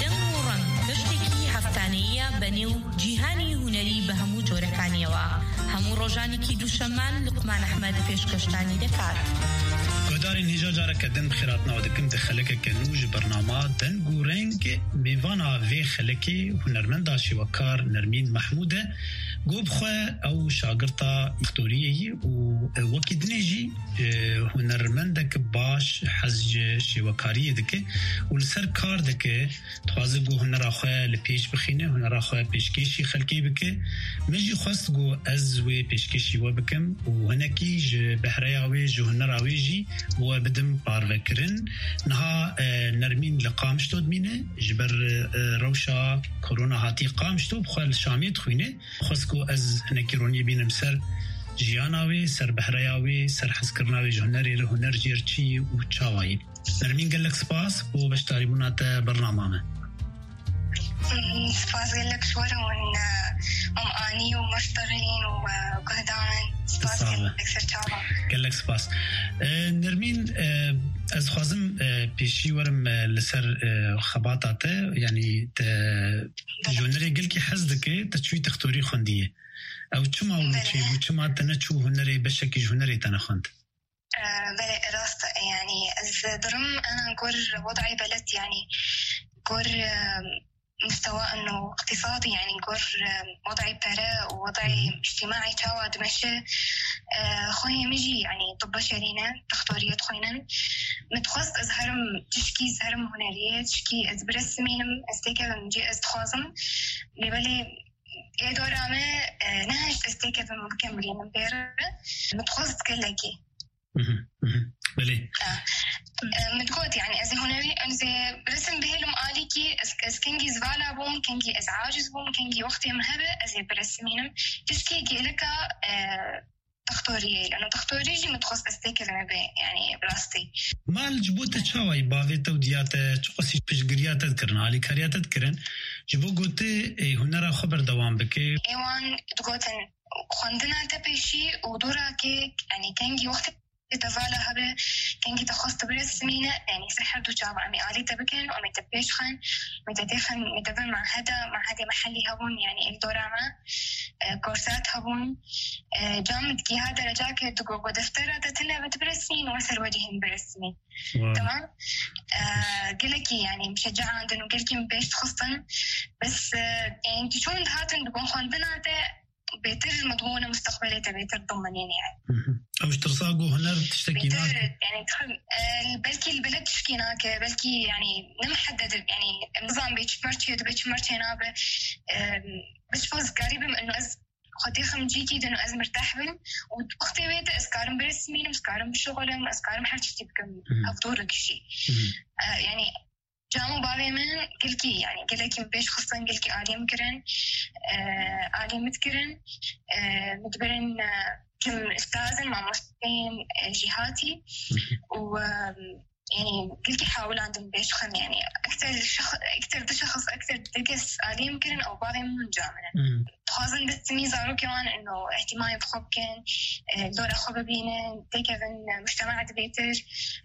دەنگ و ڕەنگ، گەشتێکی هەفتانەییە بە نێو جیهانی هونەری بە هەموو جۆرەکانیەوە. هەموو ڕۆژانێکی دووشەممان لوقمان ئەحمەد پێشکەشتانی دەکات. Guhdarên hêja careke din bi xêr hatina we dikim di xelekeke nû ji bernama Deng û Reng. Mêvana vê xelekê hunermenda şêwekar Nermîn Mehmûd e. Go bi xwe ew şagirta doktoriyê yî û wekî dinê jî, e, hunermendek baş hez ji şêwekariyê dike û li ser kar dike, dixwaze ku hunera xwe li pêş bixîne, hunera xwe pêşkêşî xelkê bike. Min jî xwest ku ez wê pêşkêşî we bikim û hinekî ji behreya wê, ji hunera wê jî bi we bidim parvekirin. Niha, e, Nermîn li Qamişlo dimîne, ji ber, e, rewşa korona hatiye Qamişlo, bi xwe li Şamê dixwîne. Xwest ku ez hinekî ronî bînim ser jiyana wê, ser behreya wê, ser hezkirina wê ji hunerê re, huner jê re çi yî û çawa yî. Nermîn, gelek spas bo beşdarîbûna te bernama me. Hmm, spas gelek ji we re hûn, e, Mam Anî û Meşterîn û, e, guhdan. Spas Sağ ol. Gelek ser çavan. Gelek spas. E, Nermîn, e, ez dixwazim, e, pêşî werim, e, li ser, e, xebata te, yanî te ji hunerê gelkî hez dike, te çûyî textorî xwendiye. Ew çima wilo Belê. çêbû, çima te neçû hunerê, beşekî ji hunerê te nexwend? Ee, belê, rast e, yani, ez dirim, ana gor wedayê beled, yani, gor, e, mustewa ino iqtisadi, yani, gor, e, wedayê pere û wedayê Hı hı. îctimaî çawa dimeşe, e, xwehê min jî, yani, tibbe şerîne, doktoriyê dixwînin. Min dixwest ez herim tişkî, ez herim huneriyê, tişkî ez biresimînim, ez têkevim cî ez dixwazim. Lê belê ê dora me, e, nehişt ez têkevim bikim bilînim pê re. Min dixwest gelekî. Mhm, mhm. Belê. E, e, min digot, yani, ez ê hunerî, ez ê resim bihêlim alîkî, ez, ez kengî zivala bûm, kengî ez aciz bûm, kengî wextê min hebe, ez ê biresimînim. Tişkî gêlika, e, doktoriyê, lano doktorî jî min dixwest ez têkevime bê, yani, bi rastî. Mal ji bo te çawa yî, bavê te û diya te çiqasî piştgiriya te dikirin, alîkariya te dikirin, ji bo ku tu, e, hunera xwe berdewam bike? Ê wan digotin, xwendina te pêşî û dora kê, yani, kengî wextê te vala hebe, kengî te xwest biresimîne, yani, ser her du çava em ê alî te bikin, em ê te pêş xin, em ê te têxin, em ê te bin maheda, mahedê mehellî hebûn, yani, ê dora me, e, korsat hebûn, e, cam digiha dereca ke digo, go deftera te tune ve tu biresimîn, we ser we cihên biresimîn. Wow. Tamam. E, gelekî, yani, min şecaandin û gelekî min pêş dixistin. Bes, e, yani, tu çûn dihatin digon xwendina te, bêtir ji midbûne mustaqbelê te bêtir dimenîne, yani. Hı hı. Ew ji tirsa ku huner tiştekî Bêtir, nake. Yani, tixim, e, belkî li beled tişkî nake, belkî, yani, ne mihedded, yani, em nizan bê çi merçê dibe, çi merçê nabe. E, bi çi zikarî bim, ino ez xwedî xim cîkî din û ez mirteh bim û wextê wê de ez karim biresimînim, ez karim bişuxulim, ez karim her tiştî bikim, Hı hı. hevdû re kişî. Hı hı. E, yani, Cam û bavê min gelkî, yani, gelekî min pêş xistin, gelkî alî min kirin, e, alî min dikirin, e, min dibirin, e, çim ustazin, mamosteyên, e, jîhatî û, e, yani, gelkî hewlandin pêş xin, yani, ekter şex-, ekter du şexs, ekter du kes alî min kirin û bavê min ca min in. Hmm. Dixwazin destmî zarokê wan ino îhtîmayê bi xwe bikin, e, dora xwe bibînin, têkevin, e, mujtema dibêtir,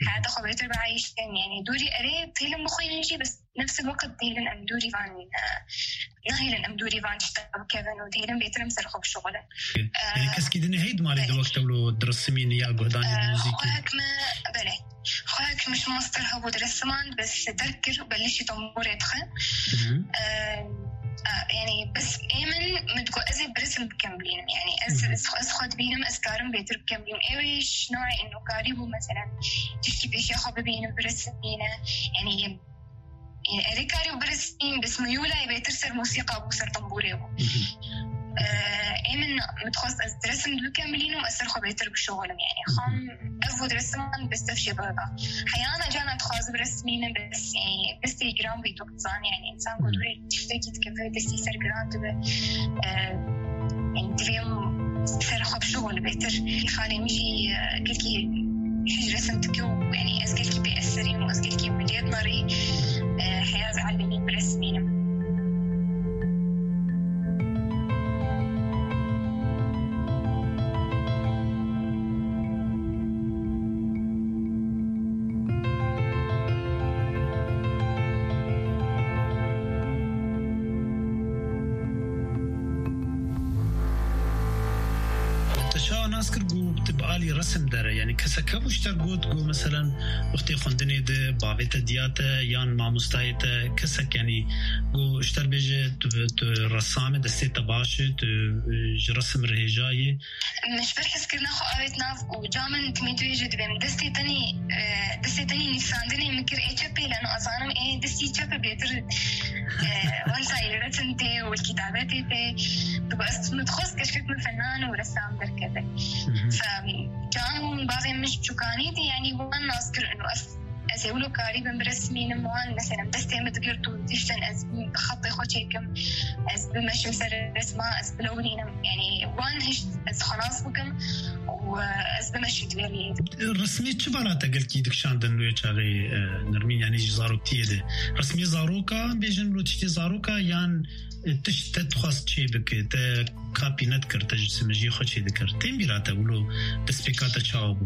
heyata xwe bêtir bieyîştin. Yani dûrî erê dihêlin bixwînin jî, bes nefs el-wekit dihêlin em dûrî van, e, nahêlin em dûrî van tişta bikevin û dihêlin bêtir em ser xwe bişuxulin. Yani E, keskî din heyî di malê de belê. Wek tewlo dirisimîn ya guhdanê E, muzîkê? Xwehek me, belê. Xwehek min ji master hebû dirisiman, bes derk kir û belîşî tembûrê dixe. Hı hı. E, e, yani, bes ê min, min digot, ez ê birisim bikim bilînim. Yani, ez, Hı hı. ez, ez xwe dibînim, ez karim bêtir bikim bilînim. Ê wê ji newê inokarî bû, meselen, tiştî pêşiya xwe bibînim, birisim bîne. Yani, yani, erê karî û birisîn, bes miyûla ê bêtir ser mûsîqa bû, ser tembûrê bû. Hı hı. E, ê min, min dixwest ez diresim bikim bilînim, ez ser xwe bêtir bişuxulim, yani. Hı hı. Xam ev û diresiman bes tev şê bixda. Heyana cana dixwazim biresimînim, bes, yani, destê giran bî, tu dizanî, yani, însan ku Hı. dûrê tiştekî dikeve, destî ser giran dibe. E, yani, divê em ser xwe bişuxulin bêtir. Xalê min jî, e, gelkî hîç resim dike û, yani, ez gelkî pê ez serîm û ez gelkî miliyet merî, e, heya ez elbî biresimînim. Te Çawa nas kir ku tu bi alî resim dere? Yanî kesek hebû ji te got ku meselen wextê xwendinê de bavê te diya te yan mamostayê te kesek, yanî ku ji te bêje tu, tu resam e, destê te baş e, tu, e, ji resim re hêja yî? Min ji ber hezkirina xwe avêt nav û ca min timî tu yê jî dibêm. Destê tenî, e, destê tenî nivîsandinê min kir ê çepê, leno azanim ê destî çep e bêtir, e, wenzayî resim tê û kitabetê tê. Digo ez min dixwest keşkek min fenan û ressam derkeve. Fe, can bavê min ji çûkanî dî, yanî wan nas kir û ez, ez ê wilo karî bim biresmînim wan, mesela destê min digirt û diştin ez bi xetê xwe çêkim, ez bimeşim ser resma, ez bilewrînim. Yanî wan hişt ez xwe nas bikim û, e, ez bimeşim di vê rêyê. Resmê çi bala te gelkî dikişandin wê çaxê, e, Nermîn, yanî ji zaroktiyê de? Resmê zaroka, bêjin lo tiştê zaroka yan, e, tişt te dixwest çê bike, te kapî nedikir, te ji simijî xwe çê dikir. Tên bîra te wilo destpêka te çawa bû?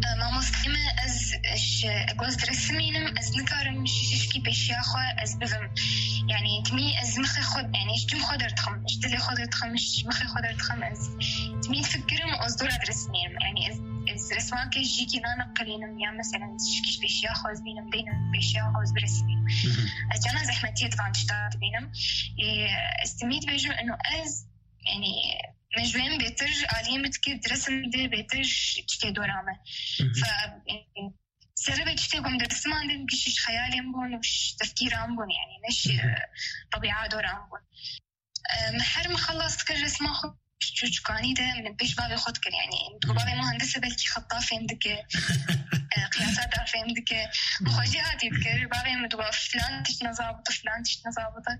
E, mamosteyê me ez ji goz diresimînim, ez nikarim ji şişkî pêşiya xwe ez bivim. Yanî timî ez mixê xwe, yanî ji cim xwe derdixim, ji dilê xwe derdixim, ji mixê xwe derdixim, ez timî difikirim û ez dora diresimînim. Yanî ez, ez resmakê jîkî naneqilînim ya meselen şişkî ji pêşiya xwe ez bînim, deynim pêşiya xwe ez biresimînim. Ez cana zehmetiyê di van tişta dibînim. Ê, ez timî dibêjim eno ez, yanî min ji wê bêtir aliyê min dikir, diresim de bêtir ji tiştê dora me. Fe, e, serê ve tiştê ku min disiman din gişî ji xeyalên bûn û ji tefkîran bûn, yanî ne ji, e, tebîa doran bûn. E, min her min xelas dikir resma xwe ji çûçikanî de min pêş bavê xwe dikir, yanî min digo bavê muhendis e, belkî xeta fêm dike, e, qiyasata fêm dike. Min xwe jî hatî dikir, bavê min digo filan tişt nezabit e, filan tişt nezabit e.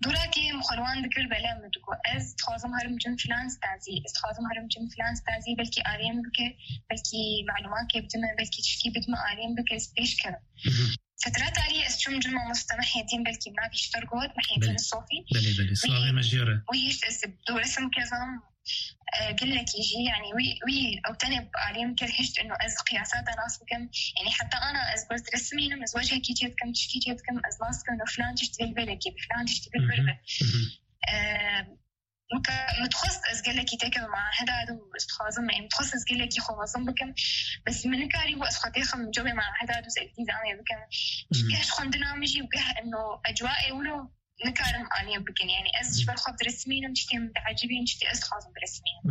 Dûrakê min xwe li wan dikir, bele min digo ez dixwazim herim cim filan stazî, ez dixwazim herim cim filan stazî, belkî aliyê min bike, belkî malûmakê bidime, belkî tişkî bidime aliyê min bike, ez pêş kevim. Fetra talî ez çûm cim mamoste Mehyedîn, belkî min navî ji te re got, Mehyedîn Sofî. Belê, belê. Slavê me jê re. Wî hişt ez dû resim kezam, e, gelekî jî, yanî wî, wî ew tenê bi aliyê min kir hişt eno ez qiyasata nas bikim. Yanî heta ana ez goz diresimînim, ez wecihekî çê dikim, tişkî çê dikim, ez nas dikim eno filan tişt vê li vê re kê, filan tişt vê li vê re be. E, Weke min dixwest ez gelekî têkevim maheda de û ez dixwazim, em dixwest ez gelekî xwe mezin bikim. Bes min nikarîbû ez xwe têxim cewê maheda de û ez îltîzamê bikim. Ji geh ji xwendina min jî û geh eno ecwaê wilo nikarim aliyê bikin. Yanî ez ji ber xwe diresimînim, tiştê min diecibîn, tiştê ez dixwazim biresimînim.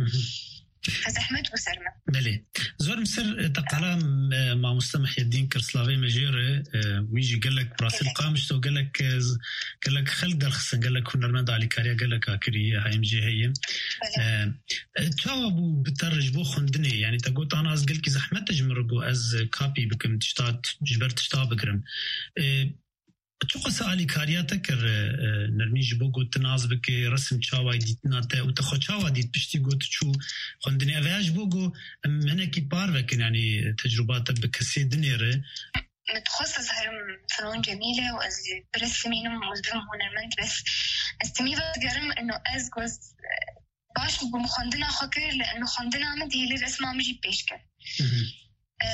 Fe zehmet bû ser me. Belê. Zor bi ser, e, te qala, e, mamoste Mehyedîn kir, slavê me jê re, e, wî jî gelek bi rastî Gelek. Qamişlo gelek, e, z-, gelek xelk derxistin, gelek hunermend alîkariya gelek a kirî, heyim jê heye. Belê. E, e, çawa bû bi te re ji bo xwendinê? Yanî te got, ana ez gelkî zehmet e ji min re got ez kapî bikim, tişta, ji ber tişta bigirim. E, Çiqas alîkariya te kir, e, Nermîn, ji bo ku tu nas bike, resim çawa dîtina te û te xwe çawa dît piştî ku tu çû xwendinê? Ev ya ji bo ku em hinekî par vekin, yanî tecrûba te bi kesê dinê re. Min dixwest ez herim Finon Cemîle û ez biresimînim û ez bibim hunermend, bes ez timî vedigerim eno ez goz, e, baş bûm xwendina xwe kir, li eno xwendina min dihêlî resma min jî pêş kir. Hı hı. E,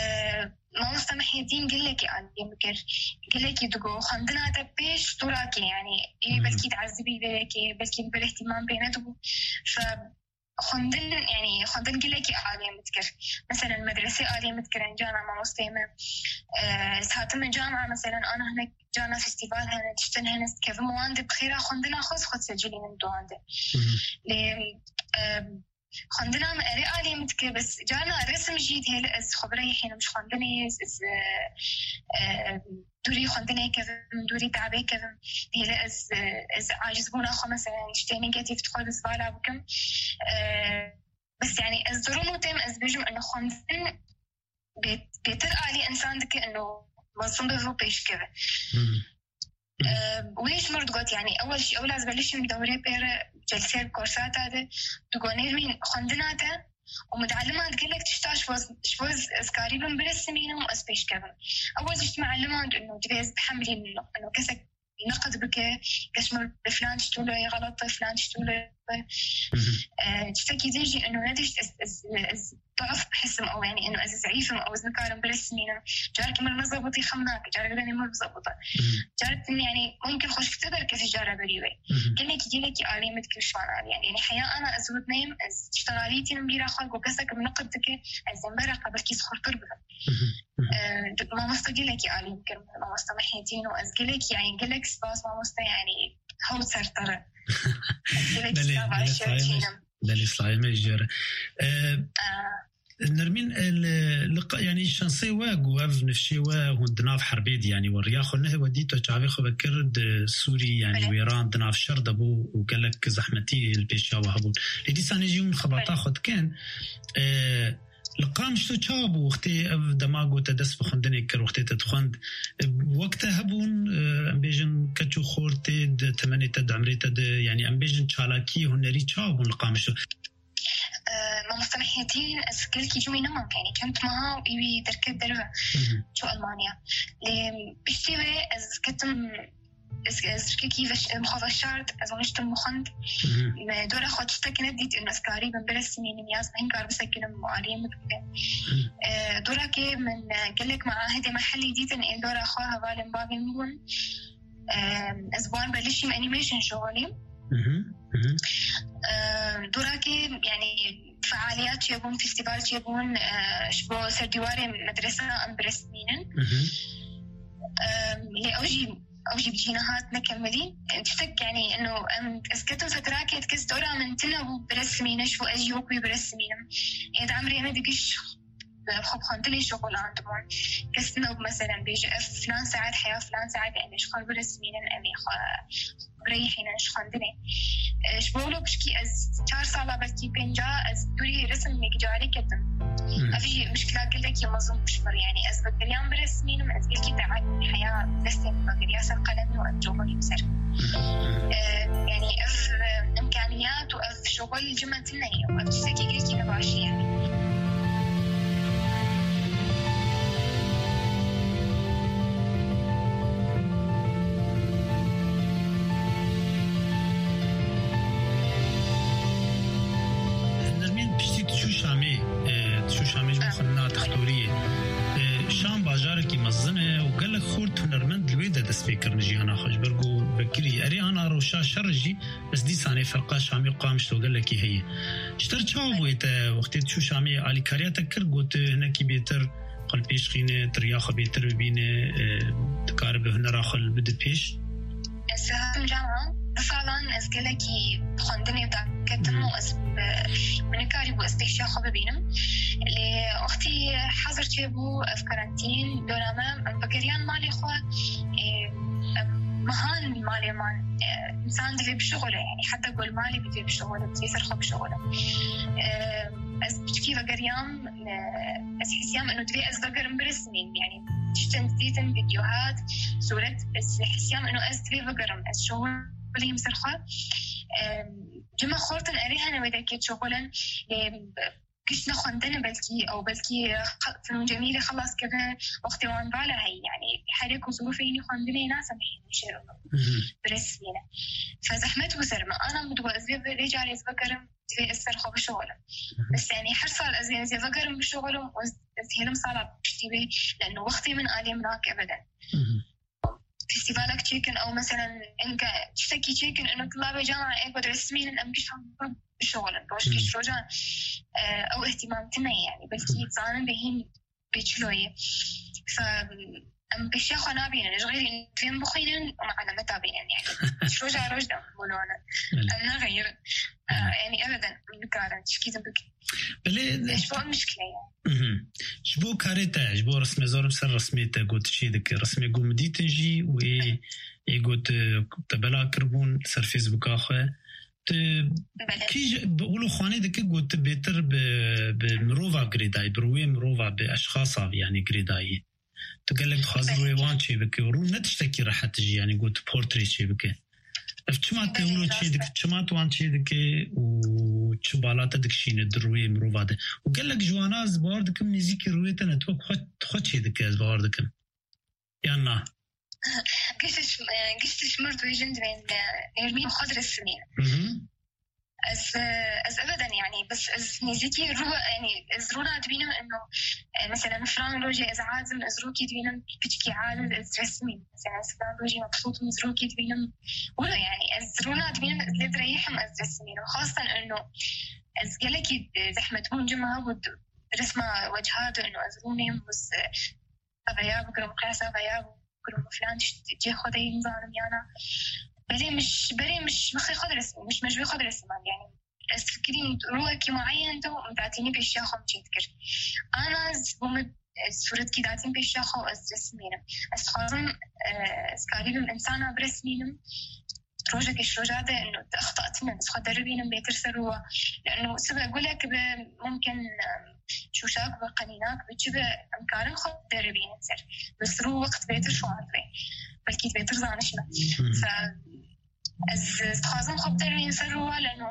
Mamoste Mehyedîn gelekî alî min kir. Gelekî digo, xwendina te pêş dûrakê, yanî ê Hı hı. belkî diezibî vê yekê, belkî li vir îhtîmam pê nedibû. Fe xwendin, yanî xwendin gelekî alî min dikir. Meselen medresê alî min dikir, encana mamosteyê me. E, ez hatim encana, meselen ana hinek cana festîval hene, tiştin hene, ez dikevim wan de bi xêra xwendina xwe, ez xwe disecilînim di wan de. Hı hı. Lê, e, xwendina min erê alî min dike, bes carna resim jî dihêle ez xwe bireyhînim ji xwendinê, ez, ez, e, e, dûrî xwendinê kevim, dûrî dawê kevim, dihêle ez, e, ez acizbûna xwe, meselen, tiştê negatif di xwe de zibala bikim. E, bes, yanî, ez durum û têm, ez bêjim, eno xwendin bê-, bêtir alî însan dike, eno mezin bibe û pêş keve. Hmm. Ee, wê ji mir digot, yanî, ewel jî, ewla ez belişim dewrê pê re, celsê bi korsata de, digot, Nermîn, xwendina te û mualliman gelek tişta ji bo, ji bo ez, ez karîbim biresimînim û ez pêş kevim. Ewel jî ji mualliman, eno, divê ez bihemilînim, eno, kesek neqid bike, kes ji mir bi filan tişt wilo yê xelet e, filan tişt wilo yê xwe. E, tiştekî din jî eno nedişt ez, ez, ez ضعف بحسم او يعني انه ez zayıfım او ez nikarim biresimînim. Carkî min nezebitî xem nake, carkî denê min bizebite. Carkî yani mümkün xweşktir derkevî cara berî wê. Gelekî gelekî alî min dikir şwan alî yani. Yani heya ana ez wit neyim, ez tiştan alî tînim bîra xwe ku kesek min niqid dike, ez zembera xwe belkî xurtir bibim. E, mamosta gelekî alî dikir min, mamosta Mehyetîn û ez gelekî yani gelek spas mamosta yani hewt ser te re. Ez gelek Belê, spas belê, şer sayeme. Tînim. Belê, sayeme jê re. E, Nermîn, e, li, li qa-, yani şansê we ku ev nifşê we hûn di nav herbê de, yani we riya xwe nehê we dît, we çavê xwe vekir di Sûrî, yani Belê. Wêran di nav şer de bû û gelek zehmetî li pêşiya we hebûn. Lê dîsanê jî hûn xebata Belê. Xwe dikin. E, li Qamişlo çawa bû wextê ev dema ku te dest bi xwendinê kir, wextê te dixwend? E, wek te hebûn, e, em bêjin keç û xortê di temenê te, di emrê te de, yani em bêjin çalakiyê hunerî çawa bûn li Qamişlo? Mamoste Mehyetîn, ez gelkî cumî nemam, yani çend meha û wî derket derve çû Almanya. Lê piştî wê ez ketim, ez, ez şikekî veş-, em xwe veşart, ez rûniştim min xwend. Me dora xwe tiştek nedît, ez karîbim biresimînim, ya ez hinkar bisekinim, aliyê min bike. E, dorakê min, e, gelek meahidê mehellî dîtin, ên dora xwe hevalên bavê min bûn. E, ez bi wan belişîm, animation şixulîm. E, dorakê, yani, fealiyat çêbûn, festîval çêbûn, e, ji bo ser dîwarê medresa em biresmînin. E, lê ew jî, ew jî bi cî nehat, nekemilî. E, tiştek, yani, eno, em, ez ketim fetrakê, kes dora min tune bû biresmîne, ji bo ez jî wek wî biresmînim. Ê di emrê me digiş xwe bi xwendinê şixulandibûn. Kes nebû, meselen, bêje, ev filan saet heya filan saet em ê ji xwe biresmînin, em ê xwe bireyhînin ji xwendinê. E, ji bo wilo pişkî ez çar sala, belkî pênca, ez dûrî resimekî carî ketim. Ev jî mişkila gelekî mezin bû ji min re. Yani ez vegeriyam biresmînim, ez gelkî te'eb heya destê min vegeriya ser qelemê û ez coxilîm ser. E, yani ev, e, imkaniyat û ev şixul ji me tune ye û ev tiştekî gelkî ne baş e yani. Nermîn, piştî tu çû Şamê, e, tu çû Şamê ji bo xwendina textoriyê. E, Şam bajarekî mezin e û gelek xort hunermend li wê de dest pê kirin jiyana xwe, ji ber ku vekirî. Erê, ana rewşa şer jî, ez dîsanê ferqa Şamê û Qamişlo gelekî heye. Ji te re çawa bûye te wextê tu çû Şamê, alîkariya te kir, got tu hinekî bêtir xwe li pêş xîne, tu riya xwe bêtir bibîne, e, dikare bi hunera xwe li bide pêş? Ez hatim cama, du salan ez gelekî xwendinê daketim û ez, e, min nikarîbû ez pêşiya xwe bibînim. Lê wextî hezir çêbû, ev karantîn dönemê, em vegeriyan malê xwe, e, em mehan malê man, e, însan divê bişuxule, yani heta ku li malê bidê bişuxule, divê ser xwe bişuxule. E, ez piçkî vegeriyam, e, ez hîsiyam eno divê ez vegerim biresimîm, yani tiştên dîtin, vîdyohat, sûret, ez hîsiyam eno ez divê vegerim, ez şixulîm ser xwe. E, cima xortin erê hene wê dekê şixulin, e, giş ne xwendin, belkî ew belkî xe-, Fenûn Cemîlê xelas kirine, wextê wan vala heyî, yani herê ku zirûfê hînî xwendinê nasemihînin şêr û biresmîne. Fe zehmet bû ser me. Ana min digot, ez vê, vê carê ez vegerim, divê ez ser xwe bişixulim. Bes yani her sal ez ê, ez ê vegerim bişixulim û ez, ez hêlim sala piştî wê, leno wextê min alê min nake ebeden. Festîvalek çêkin ew, meselen, enka tiştekî çêkin, eno tulabê cama ê ku diresmînin, em giş bişixulin. Roj giş rojan, e, ew ihtimam tune ye, yani belkî zanin bê hîn bê çilo ye. Fe, em pêşiya xwe nabînin. Ji xêrî divê em bixwînin û me alameta bînin, yani. Ji roja roj de em bûlonin. Belê. Em nexeyirin. E, yani ebeden em nikarin tişkî din bikin. Belê, e, ji bo em mişkile ye. Mhm. Ji bo karê te, ji bo resmê, zorim ser resmê te got çê dike. Resmê ku min dîtin jî wê ê got, e, te bela kiribûn ser Facebooka xwe. Tu Belê. Kî ji, bi, wilo xwanê dike got tu bêtir bi, bi mirova girêdayî, bi rûyê mirova, bi eşxasa, yani girêdayî. Tu gelek dixwazî Belê. Rûyê wan çê bike. Rû ne tiştekî rehet jî, yani got tu portrê çê bike. Ev çima te Belê, wilo çê rast dike, e. Çima tu wan çê dike û çi bala te dikişîne di rûyê mirova de? Û gelek ji wana ez bawer dikim nêzîkî rûyê te ne, tu xwe, xwe çê dike, ez bawer dikim. Yan na? Giş ji, e, giş ji mir dibêjin divên, e, Nermîn xwe diresimîne. Mhm. Ez, ez ebeden, yani, bes ez nêzîkî rû, yani, ez rûna dibînim eno, e, mesela, filan rojê ez azim, ez rûkî dibînim, piçkî aciz, ez resmî. Mesela, ez filan rojê mebsût im, ez rûkî dibînim. Wilo, yani, ez rûna dibînim, ez lê direyihim, ez resmînim. Xastan eno, ez gelekî, e, zehmet bûn cima hebû, resma wecihado eno, ez rûnêm, ez, e, veya bikirim, qiyasa veya bikirim, filan tişt cê xwe de nizanim yana. Belê min ji, berê min ji mixê xwe diresim, min ji mejûyê xwe diresimand. Yani, ez fikirîm rûyekî mueyen de min datînî pêşiya xwe min çêdikir. Ana ez bû min, e, sûretkî datîn pêşiya xwe û ez resimînim. Ez dixwazim, e, ez karîbim insana biresimînim. Rojekê ji roja de, eno, extatine, ez xwe deribînim bêtir ser rû. Leno sibe gulek be, mumkin, e, şûşak be, qenînak be, çi be, em karin xwe deribînin ser. Bes rû wext bêtir şuand be. Belkî bêtir zaniş me. Fe ez, ez dixwazim xwe bideribînim ser rû, leno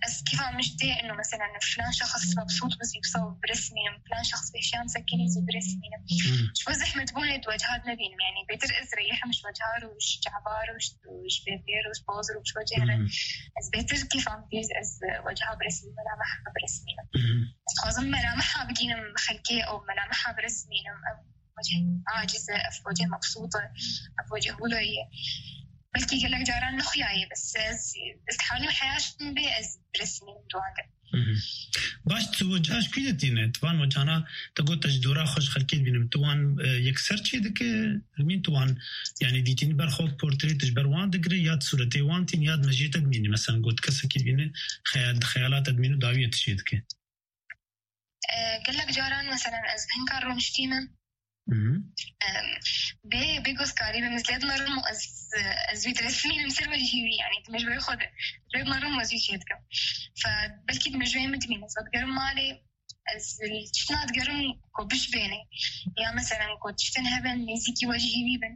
ez kîfa min ji tê, eno, mesela, filan şexs mebsût bi zî wisa biresmînim, filan şexs pêşiyan sekinî zî biresmînim. Ji bo zehmetbûnê di weciha de nebînim, yani, bêtir ez reyihim ji weciha û ji çavar û ji, ji bêvêr û ji poz û ji wecihê re. Ez bêtir kîfa min tê, ez weciha biresmînim, melameha biresmînim. Ez dixwazim melameha bigînim xelkê û melameha biresmînim. Ev wecih aciz e, ev wecih mebsût e, ev wecih wilo ye. Belkî gelek caran nexuya ye, bes ez, ez dihewlîm heya ji min bê, ez biresmînim di wan de. Baş, tu weca ji kû de tîne? Tu van wecana, te got, te ji dora xwe ji xelkê dibînim. Tu wan, e, yekser çê dike? Nermîn, tu wan, yani, dîtînî ber xwe portrê tu ji ber wan digire, ya di sûretê wan tîn, ya di mejiyê te dimînî? Mesela, got, kesekî dibîne, xeyal, di xeyala te dimîne, dawiyê tu çê dike? E, gelek caran, mesela, ez hinka rûniştî me. Em, bê, bê gozkarî, bê min zêde nerim, ez, ez wî diresimînim ser wecihî wî, yani, di mejûyê xwe de. Zêde nerim, ez wî çê dikim. Fe, belkî di mejûyê min dimîne, ez vedigerim malê, ez tiştna digerim ku bişbêne. Ya, mesela, ku tiştin hebin, nêzîkî wecihî wî bin.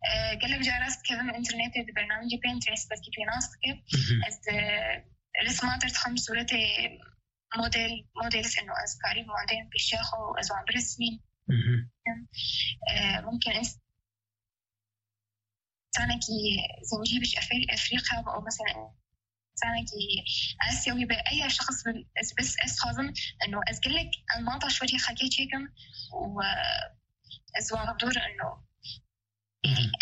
E, gelek cara ez dikevim înternetê, di bernamecê Pinterest, belkî tu nas dike. Ez, e, resma derdixim, sûretê model, model, eno, ez karî model pêşiya xwe û ez wan biresmînim. E, mumkin insanekî zincî bi ji Efri-, Efrîqya be û mesela insanekî Asyawî be, eya şexs bin, ez bes, ez dixwazim, eno, ez gelek enmata ji wecihê xelkê çêkim û, e, ez wan dor, eno,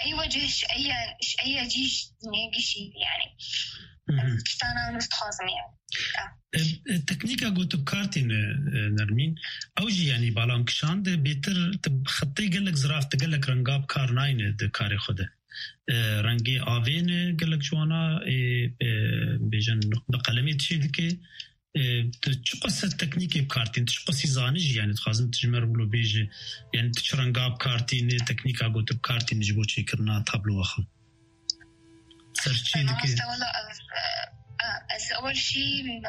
Ey wecih ji eya, ji eya cî ji dinê gişî, yani. Tiştana nû dixwazim, yani. E, e, teknîka ku tu bi kar tîne, e, Nermîn, ew jî, yani, bala min kişand, bêtir tu bi xetê gelek zirav, tu gelek renga bi kar nayne di karê xwe de. E, rengê avê ne gelek ji wana, e, e, bêjin bi qelemê dişê dike. E, tu çiqas ser teknîkê bi kar tînî, tu çiqasî zanî jî, yani, dixwazim tu ji me re wilo bêje, yani, tu çi renga bi kar tînî, teknîka ku tu bi kar tînî ji bo çêkirina tabloya xwe? Ser çi dike? Mamoste, wela, ev, e, e, ez ewel jî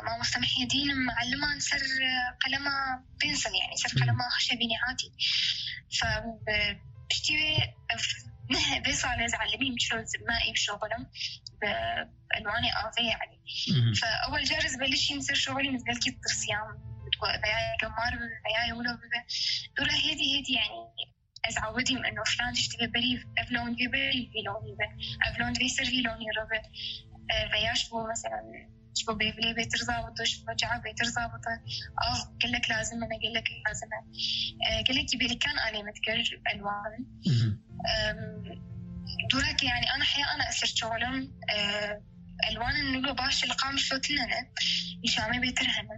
mamoste Mihyedîn im, mualliman ser, e, qelema pencil, yani, ser qelema xweşebînî hatî. Fe, e, piştî wê, ev, neh, vê salê ez elimîm çilo me î bişoxulim bi elwanê avê, yani. Fe ewel car ez belişîm ser şoxulîm, ez belkî ditirsiyam, veya gemar bibe, veya wilo bibe. Dora hêdî hêdî, yani, ez awidîm eno filan tişt divê berî, ev lon divê berî vî lonî be, ev lon divê ser vî lonî re be. E, veya ji bo, mesela, ji bo bêvilê bêtir zabit e, ji bo çav bêtir zabit e. Av gelek lazim e, me gelek lazim e. E, gelekî bêlikan alê min dikir elwan. Em, dûreke, yani, ana heya ana ez ser şoxulim, e, elwanên wilo baş li qamşo tune ne. Nîşamê bêtir hene.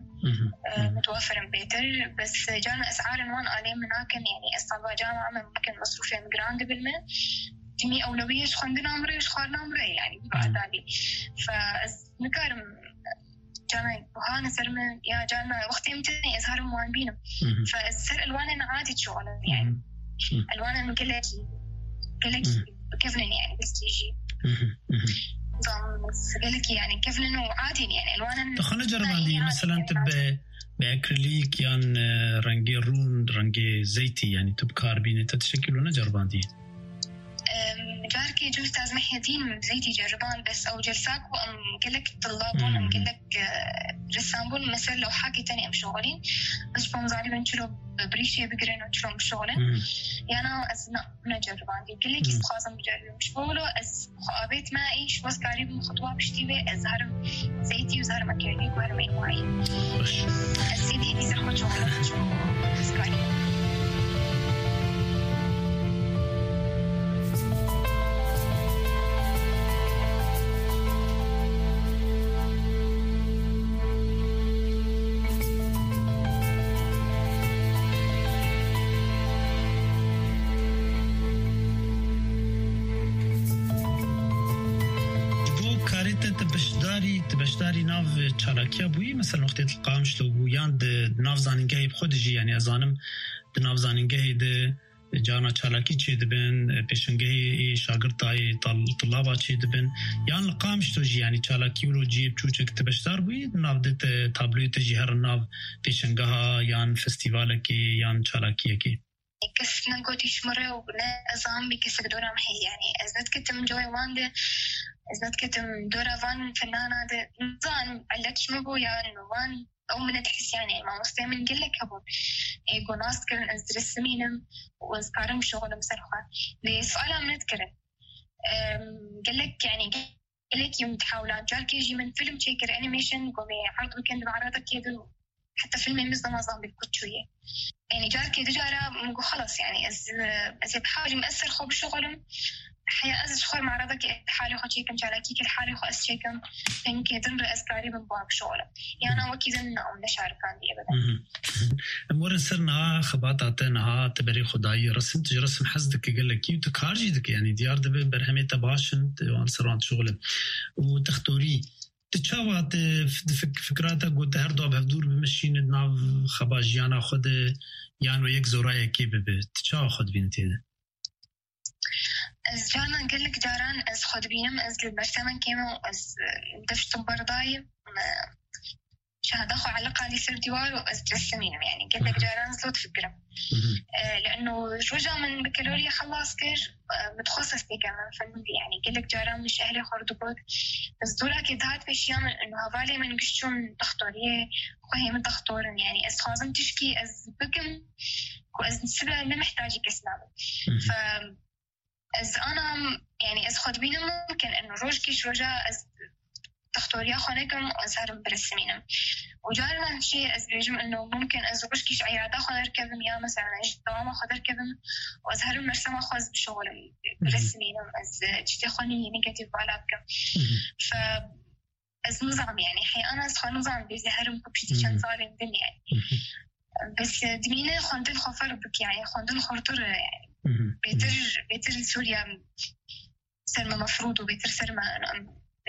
E, mutwafir in bêtir. Bes carna esarên wan alê min nakin, yani, ez talba cama me mumkin mesrûfê min giran dibin me. Timî ewlewiyê ji xwendina min re, ji xwarina min re, yani, bi adalî. Fe ez nikarim, carna buhane ser min, ya carna wextê min tune, ez herim wan bînim. Fe ez ser elwanên adî şoxulim, yani. Elwanên gelekî, gelekî kevnin, yani, gelekî jî. Zan, gelekî, yani, kevnin û adîn, yani, elwanên. Tu xwe neceribandî, yani, mesela, tu bi, bi akrîlîk yan, e, rengê rûn, rengê zeytî, yani, tu bi kar bînî, te tiştekî wilo neceribandî? Em, carkê ji Ustaz Mihyedîn zeytî ceriband, bes ew celsa ku em gelek tilla bûn, em gelek, e, ressam bûn, me ser lewhakê tenê em şoxilîn. Bes ji bo em zanîbin çilo bi birîşê bigirin û çilo em bişoxilin. Yana ez ne, neceribandî. Gelekî dixwazim biceribim. Ji bo wilo ez xwe avêtime, ê ji bo ez karîbim xutwa piştî wê ez herim zeytî û ez herim akrîlîk. Baş. Ez êdî dîsa xwe çawa çû Skype. Ji bo karê te tu beşdarî, tu beşdarî nav çalakiya bûyî, mesela wextê tu li Qamişlo bû, yan di, di nav zanîngehê bi xwe dijî, yanî ez zanim di nav zanîngehê de carna çalakî çêdibin, pêşengehê ê şagirtayê, tal-, tulaba çêdibin, yan li Qamişlo jî, yanî çalakî wilo cihê biçûçek tu beşdar bûyî, di nav de te tabloyê te jî her nav pêşengeha yan festîvalekê yan çalakiyekê? Kes negotî ji min re û ne ez zanim bî kesek dora min heye. Yanî ez nediketim cihê wan de, ez nediketim dora van fenana de. Nizanim elet ji min bû yan wan ew min nedihisiyanê. Mamosteyê min gelek hebûn. Ê ku nas dikirin ez diresimînim û ez karim bişuxulim ser xwe. Lê suala min nedikirin. Em, gelek, yanî gelekî min dihewlan. Carkê jî min fîlm çêkir, animation, ku me erd bikin di me'redekê de. Heta fîlmê min zema zan bi ku çûye. Yanî carkê du cara min got, xelas, yanî ez, ez ê bihewlîm ez ser xwe bişuxulim. Heya ez ji xwe me'redekê halê xwe çêkim, çalakîkê li halê xwe ez çêkim. Pengkê din re ez karîbim bi wan bişuxulim. Yana wekî din na, em neşarikandî ebeden. Mhm. Em werin ser niha xebata te, niha te berê xwe dayî resim, tu ji resim hez dike gelekî û tu kar jî dike, yanî diyar dibe berhemê te baş in, tu wan ser wan dişuxulin. Û textorî, tu çawa, tu f-, di fik-, fikra te got, tu her du bi hevdûr bimeşîne di nav xeba jiyana xwe de, yan wê yek zorayekê bibe? Tu çawa xwe dibînî tê de? Ez carna gelek caran ez xwe dibînim, ez li bersemen kêm û ez, e, dev ji tim berdayim, e, şahada xwe eliqa li ser dîwar û ez diresimînim, yanî gelek Aha. caran ez li difikirim. Mhm. E, leno roja min bakalorya xelas kir, e, min dixwest ez têkevim fenûdî, yanî gelek caran min ji ehlê xwe re digot, ez dorakê dihat pêşiya min, û hevalê min giş çûn dextoriyê, xwehê min dextor in, yanî ez dixwazim tişkî ez bikim ku ez sibe ne mihtacî kes nabim. Mhm. Fe ez ana, yanî ez xwe dibînim mumkin in rojkî ji roja ez dextoriya xwe nekim û ez herim biresimînim. Û carna jî ez dibêjim ino mumkin ez rojkî ji eyada xwe derkevim ya mesela ji dewama xwe derkevim û ez herim mersema xwe ez bişuxulim, Mhm. biresimînim, ez, e, tiştê xwe nî negatif bala bikim. Mhm. Fe ez nizam, yanî heyana ez xwe nizam bê ez ê herim ku piştî çend Mhm. salên din, yanî. Mhm. Bes, e, dimîne xwendin xwe ferq bike, yanî xwendin xurtir e, yanî. Mhm. Bêtir, bêtir li Sûriye ser me mefrûd û bêtir ser me, em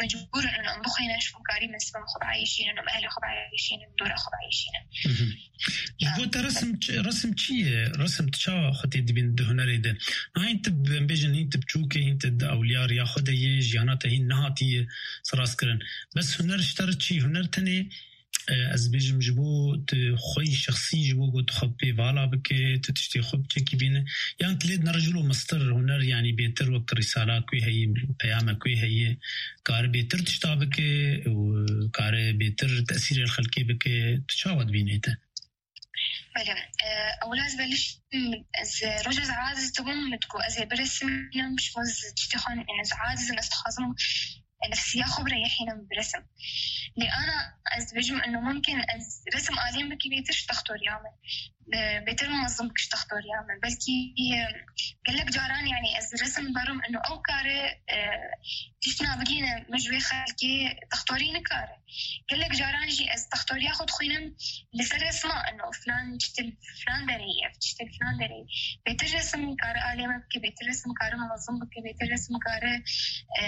mecbûr in em bixwînin, ji bo karî me sibin xwe bieyîşînin, em ehlê xwe bieyîşînin, dora xwe bieyîşînin. Mhm. Ji bo te resim çi, resim çi ye? Resim tu çawa xwe tê dibîn di hunerê de? Hîn tu, em bêjin, hîn tu biçûk î, hîn tu di ewliya riya xwe de yî, jiyana te hîn nehatiye sirazkirin. Bes huner ji te re çi? Huner tenê, e, ez bêjim, ji bo tu xweyî şexsî, ji bo ku tu xwe pê vala bike, tu tiştê xwe biçekî bîne. Yan tu lê dinere ji wilo mestir huner, yanî bêtir wek risala ku heye, peyame ku heye, kare bêtir tişta bike û kare bêtir tesîrê li xelkê bike. Tu çawa dibînî te? Belê, e, ewla ez beliştim, ez roja ez aciz dibûm, min digot, ez ê biresimînim, ji bo ez tiştê xwe, yanî ez aciz im, ez dixwazim, e, nefsiya xwe bireyihînim, biresim. Lê ana ez dibêjim, ino mumkin ez resim alîm bikî bêtir ji dextoriya min, e, bêtir munezim bikî ji dextoriya min. Belkî, e, gelek caran, yanî ez resim berim, ino ew kare, e, tiştina bigîne min ji wê xelkê dextorî nikare. Gelek caran jî ez dextoriya xwe dixwînim li ser resma, ino filan tiştê li filan derê ye, ev tiştê li filan derê ye. Bêtir resim kare alê me bike, bêtir resim kare mezin bike, bêtir resim kare, e,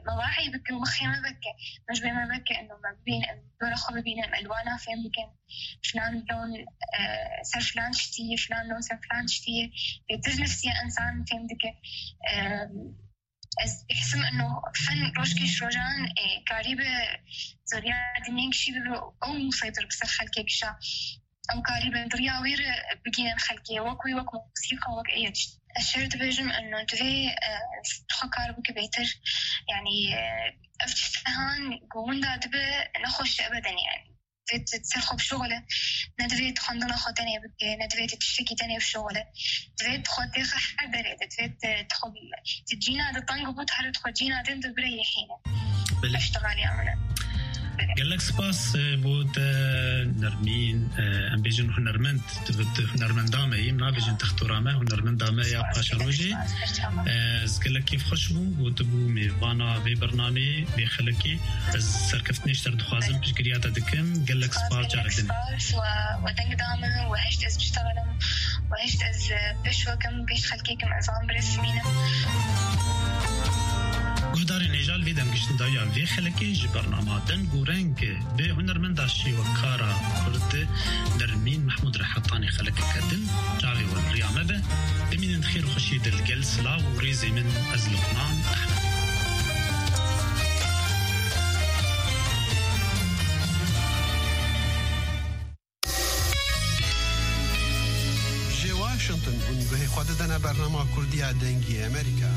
mewahî bike û mixê me veke. Me ji wê me veke, ino me bibînin, em dora xwe bibînin, em elwana fêm bikin. Filan lon, e, ser filan tiştî ye, filan lon ser filan tiştî ye. Bêtir nefsiya însan fêm dike. E, Ez dihsim ino fen rojkê ji rojan, e, karîbe zoriya dinên kişî bibe û ew museytir bi ser xelkê kişa. Ew karîbe di riya wî re bigihên xelkê, wek wî, wek musîqa, wek ê tişt. Ez şer dibêjim ino divê, e, xwe kar bike bêtir. Yanî, e, ev tiştehan ku winda dibe nexweş ebeden, yanî. Divê tu ser xwe bişuxule, ne divê tu xwendina xwe tenê bike, ne divê tu tiştekî tenê bişuxule. Divê tu xwe têxe her derê de, divê tu, tu xwe, tu cîna de teng bû, tu here tu xwe cîna din de bireyihîne. Belê. Ev ştexaliya min e. Gelek spas, e, bo te Nermîn, e, em bêjin hunermend, tu, tu hunermenda me yî, nabêjin textora me, hunermenda me ya paşerojê. E, ez gelek kêfxweş bûm, ku tu bû mêvana vê bernameyê, vê xelekê. Ez serkeftinê ji te re dixwazim, piştgiriya te dikim. Gelek spas, carek din. Spas, we, we deng da min, we hişt ez biştexilim, we hişt ez, e, pêş wekim, pêş xelkê kim, ez wan bi rêz bînim. Guhdarên hêja, li vê demgiştin dawiya vê xelekê ji bernama Deng û Reng bi hunermenda şêwekara Kurd Nermîn Mehmûd re hetanî xelekeke din çavê we li riya me be. Bimînin di xêr û xweşiyê de li gel silav û rêzê min ez Luqman Ehmed. Ji Washington hûn guhê xwe didene bernama Kurdiya Dengê Amerîka.